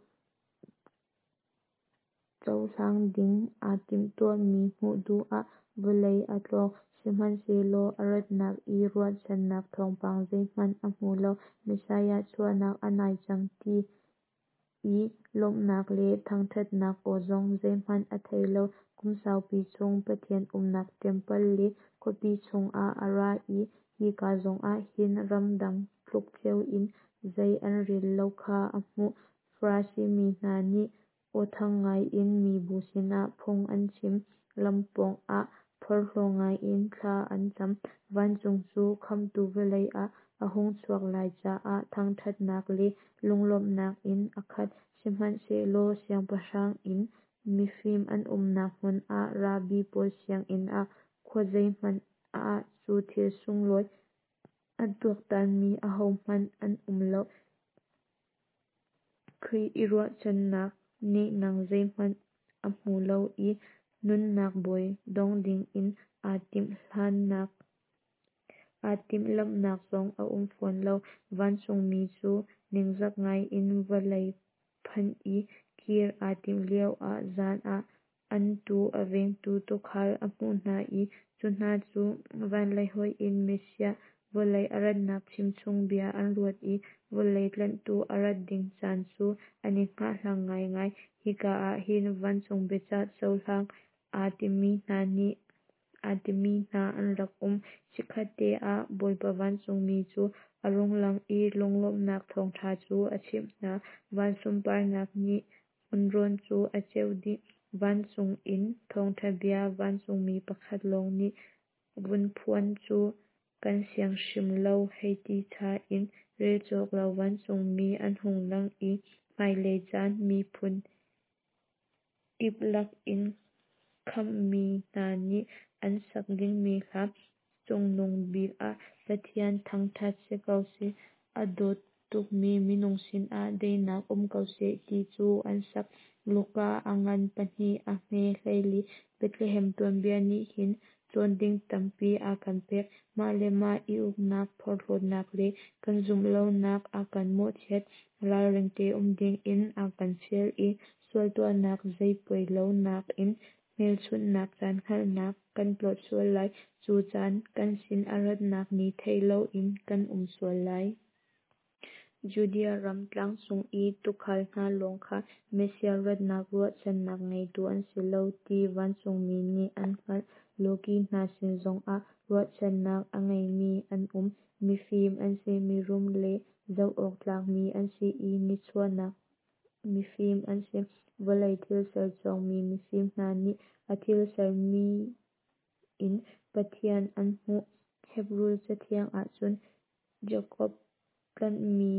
Speaker 1: cohlang ding aa timhtuahmi hmuh duh ah vawlei a tlawng. Sihmanhsehlaw a ratnak i ruahchannak thawngpang zeihmanh a hmu lo. Messiah chuahnak a nai cang ti i lawmhnak le thangṭhatnak aw zong zeihmanh a thei lo. Kum saupi chung Pathian umnak ṭempal le khuapi chungah a ra i hika zongah hin ramdang tluk ceo in zei an rel lo kha a hmuh. Farasi mi hna nih aw thang ngaiin mibu sinah phung an chim, lam pawngah phorhlaw ngaiin thla an cam. Vancung cu Khamhtu vawlei ah a hung chuak lai caah thangṭhatnak le lunglawmhnak in a khat. Sihmanhsehlaw siangpahrang inn Mifim an umnak hmun ah, rabbi pawl sianginn ah, khuazei hmanh ah cu thil sunglawi a tuaktanmi ahohmanh an um lo. Khrih i ruahchannak nehnang zeihmanh a hmu lo i nunnak bawi dong dingin aa timhlamhnak zong a um fawn lo. Vancungmi cu ningzak ngai in vawlei phanh i kir aa timh lioah zan ah an tuu a vengtu tuukhal a hmuh hna i cu hna cu van lei hoih in Messiah vawlei a ratnak chimchung bia an ruat i vawlei tlanhtu a rat ding caan cu an i hngahhlang ngaingai. Hika ah hin vancung biacah cohlang aa timi hna an rak um. Chikkhatte ah Bawipa vancungmi cu a rung lang i lunglawmhnak thawngṭha cu a chimh hna. Van sunparnak nih hmunrawn cu a ceuh dih. Vancung in thawngṭha bia vancungmi pakhat lawng nih vun phuan cu kan siang hrim lo hei ti cha in relcawk lo vancungmi an hung lang i hmailei caan miphun kip lak in khamhmi hna nih an sak dingmi hla, Cungnung bik ah Pathian thangṭhat si ko seh, a dawt tukmi minung sinah daihnak um ko seh ti cu an sak. Luka a ngan 2 a hme 14. Bethlehem tuanbia nih hin cawn ding tampi a kan pek. Mah le mah i uknak, phorhlawtnak le kan zumh lonak a kan mawhchiat. Ralring te um dingin a kan fial i sual tuahnak zei poi lo nakin hmelchunhnak caan hngalhnak kan tlawt sual lai. Cu caan kan sin a ratnak ni thei loin kan um sual lai. Judea ram tlangcung i tuukhal hna lawng kha Messiah ratnak ruahchannak ngeitu an si lo ti vancungmi nih an hngalh. Lawki hna sin zongah ruahchannak a ngeimi an um. Mifim an si, mirum le zoh awk tlakmi an si i nichuahnak mifim an si. Vawlei thilser cawngmi mifim hna nih a thil sermi in Pathian an hmuh. Hebru cathiang ahcun Jakob tlanhmi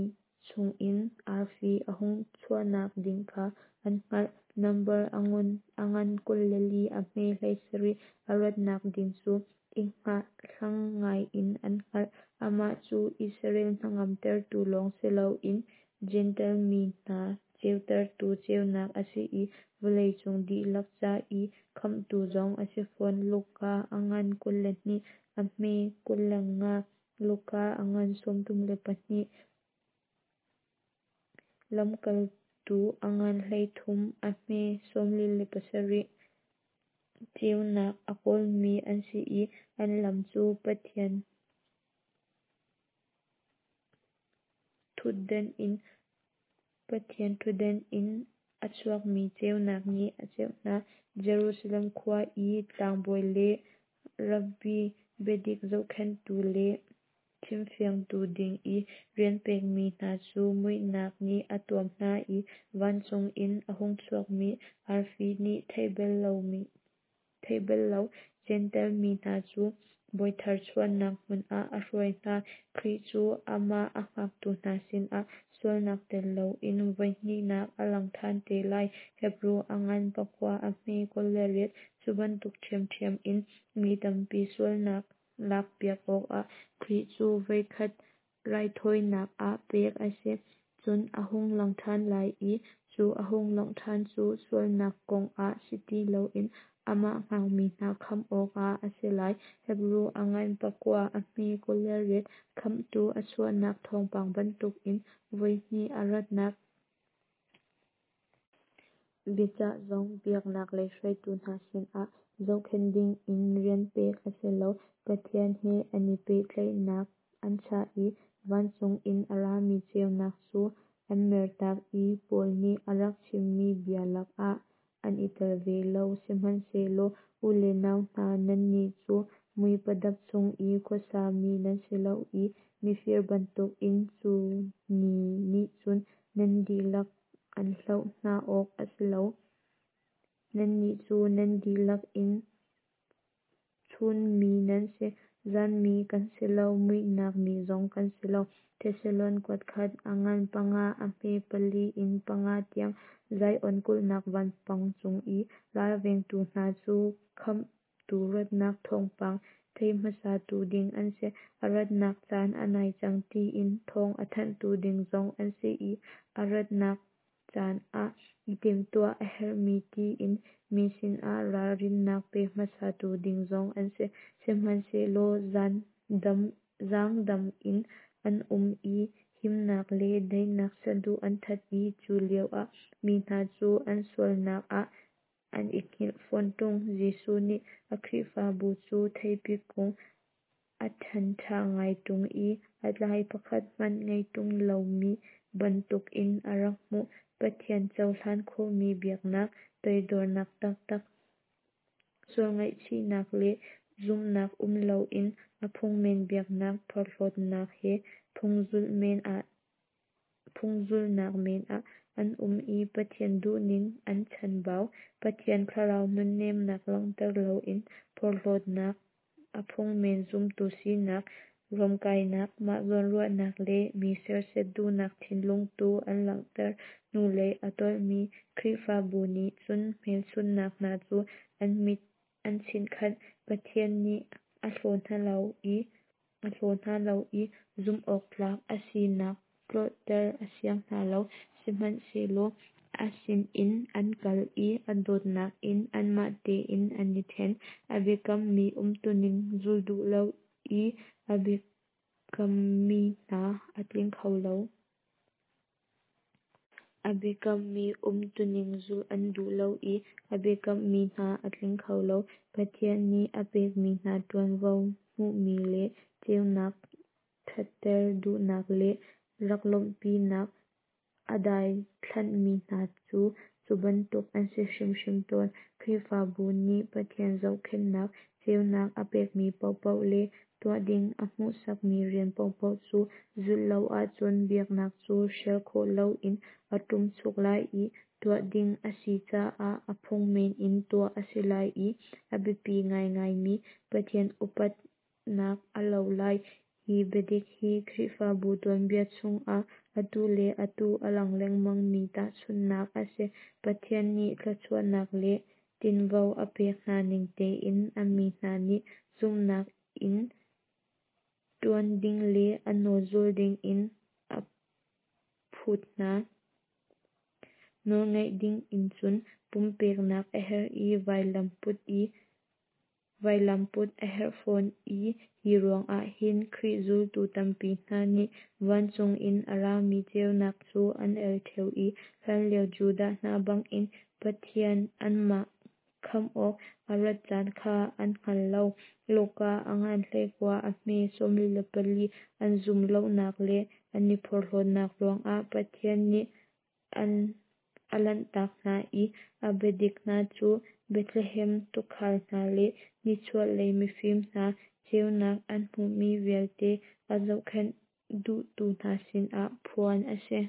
Speaker 1: chungin arfi a hung chuahnak ding kha an hngalh. Nambar a ngan 24 a hme 17 a ratnak ding cu i hngahhlang ngai in an hngalh. Amah cu Israel hnangamtertu lawng si loin Jentail mi hna ceutertu ceunak a si i vawleicung dihlak ca i khamhtu zong a si fawn. Luka a ngan 22 a hme 25, Luka a ngan 32, Lamkaltu a ngan 13 a hme 47. Ceunak a kawlmi an si i an lam cu Pathian ṭhutdan in a chuakmi ceunak nih a ceuh hna. Jerusalem khua i tlangbawi le rabbi, biadik zohkhenhtu le chimfiangtu ding i rian pekmi hna cu muihnak nih a tuam hna i vancung in a hung chuakmi arfi nih theih bal lo Jentail mi hna cu Bawithar chuahnak hmun ah a hruai hna. Khrih cu amah a hngaktu hna sinah sualnak tel loin voihnihnak a lang ṭhan te lai. Hebru a ngan 9 a hme 28. Cu bantuk ṭhiamṭhiam in mi tampi sualnak lakpiak awkah Khrih cu voikhat raithawinak ah pek a si. Cun a hung lang ṭhan lai i cu a hung langh ṭhan cu sualnak kong ah si ti loin amah hngakmi hna khamh awkah a si lai. Hebru a ngan 9 a hme 28. Khamhtu a chuahnak thawngpang bantukin voihnih a ratnak biacah zong biaknak lei hruaitu hna sinah zohkhenh dingin rian pek a si lo. Pathian he an i pehtlaihnak an chah i vancung in a rami ceunak cu an mertak i Paul nih a rak chimmi bia lakah an i tel ve lo. Sihmanhsehlaw u le nau hna, nannih cu muipadap chung i khuasami nan si lo i mifir bantukin cu ni nih cun nan dihlak an hloh hna awk a si lo. Nannih cu nan dihlak in chunmi nan si. Zanmi kan si lo, muihnak mi zong kan si lo. Thesalon kuatkhat a ngan 5 a hme 4 in 5 tiang. Zion kulhnak vanpang cung i ralvengtu hna cu Khamhtu ratnak thawngpang thei hmasatu ding an si. A ratnak caan a nai cang tiin thawng a thanhtu ding zong an si i a ratnak caan ah i timhtuah a herhmi tiin mi sinah ralrinnak pe hmasatu ding zong an si. Sihmanhsehlaw zaangdam in an um i himnak le daihnak saduh an that i cu lioah mi hna cu an sualnak ah an i hngilh fawn ṭung. Jesuh nih a Khrihfabu cu theipi kung a ṭhan ṭha ngai ṭung i a tlai pakhat hmanh ngei ṭung lomi bantukin a rak hmuh. Pathian cohlan khawhmi biaknak, toidornak taktak, sual ngaihchihnak le zumhnak um loin a phungmen biaknak, phorhlawtnak he phungzulhnak men ah an um i Pathian duhning an chanbau. Pathian thlarau nunnemnak langhter loin phorhlawtnak, a phungmen zumtu sinak, ruamkainak, mah zawnruahnak le mi sersiat duhnak thinlung tu an langhter. Hnulei a tolhmi Khrihfabu nih cun hmelchunhnak hna cu an mit an chinhkhanh. Pathian nih a hlaw hna lo i zumhawktlak a sinak tlolhter a siang hna lo. Sihmanhsehlaw a sinin an kal i a dawtnak in anmah tein an i ṭhen. A biakammi umtuning zul duh lo i a biakammi hna a tling kho lo. A biakammi umtuning zulh an duh lo i a biakammi hna a tling kho lo. Pathian nih a pekmi hna ṭuanvo, hmuhmi le ceunak ṭhatter duhnak le rak lawmhpinak a daithlanhmi hna cu cu bantuk an si hrimhrim tawn. Khrihfabu nih Pathian zohkhenhnak, ceunak a pekmi paohpaoh le tuah ding a hmuhsakmi rian paohpaoh cu zulh lo ahcun biaknak cu hrial khawh loin a ṭumchuk lai i tuah ding a si caah a phungmen in tuah a si lai i a biapi ngaingaimi Pathian upatnak a lo lai. Hi biadik hi Khrihfabu tuanbia chungah atu le atu a lang lengmangmi tahchunhnak a si. Pathian nih thluachuahnak le tinvo a pek hna ning tein a mi hna nih zumhnak in ṭuan ding le a nawl zul dingin a phut hna. Nawlngaih ding in cun pumpeknak a herh i vailam put a herh fawn i hi ruangah hin Khrih zultu tampi hna nih vancung in a rami ceunak cu an el ṭheo i hlanlio Judah hna bangin Pathian anmah khamh awk a rat caan kha an hngal lo. Luka a ngan 19 a hme 44. An zum lonak le an i phorhlawtnak ruangah Pathian nih a lanhtak hna i a biadik hna cu Bethlehem tuukhal hna le nichuahlei mifim hna ceunak an hmuhmi vialte a zohkhenh duhtu hna sinah phuan a si.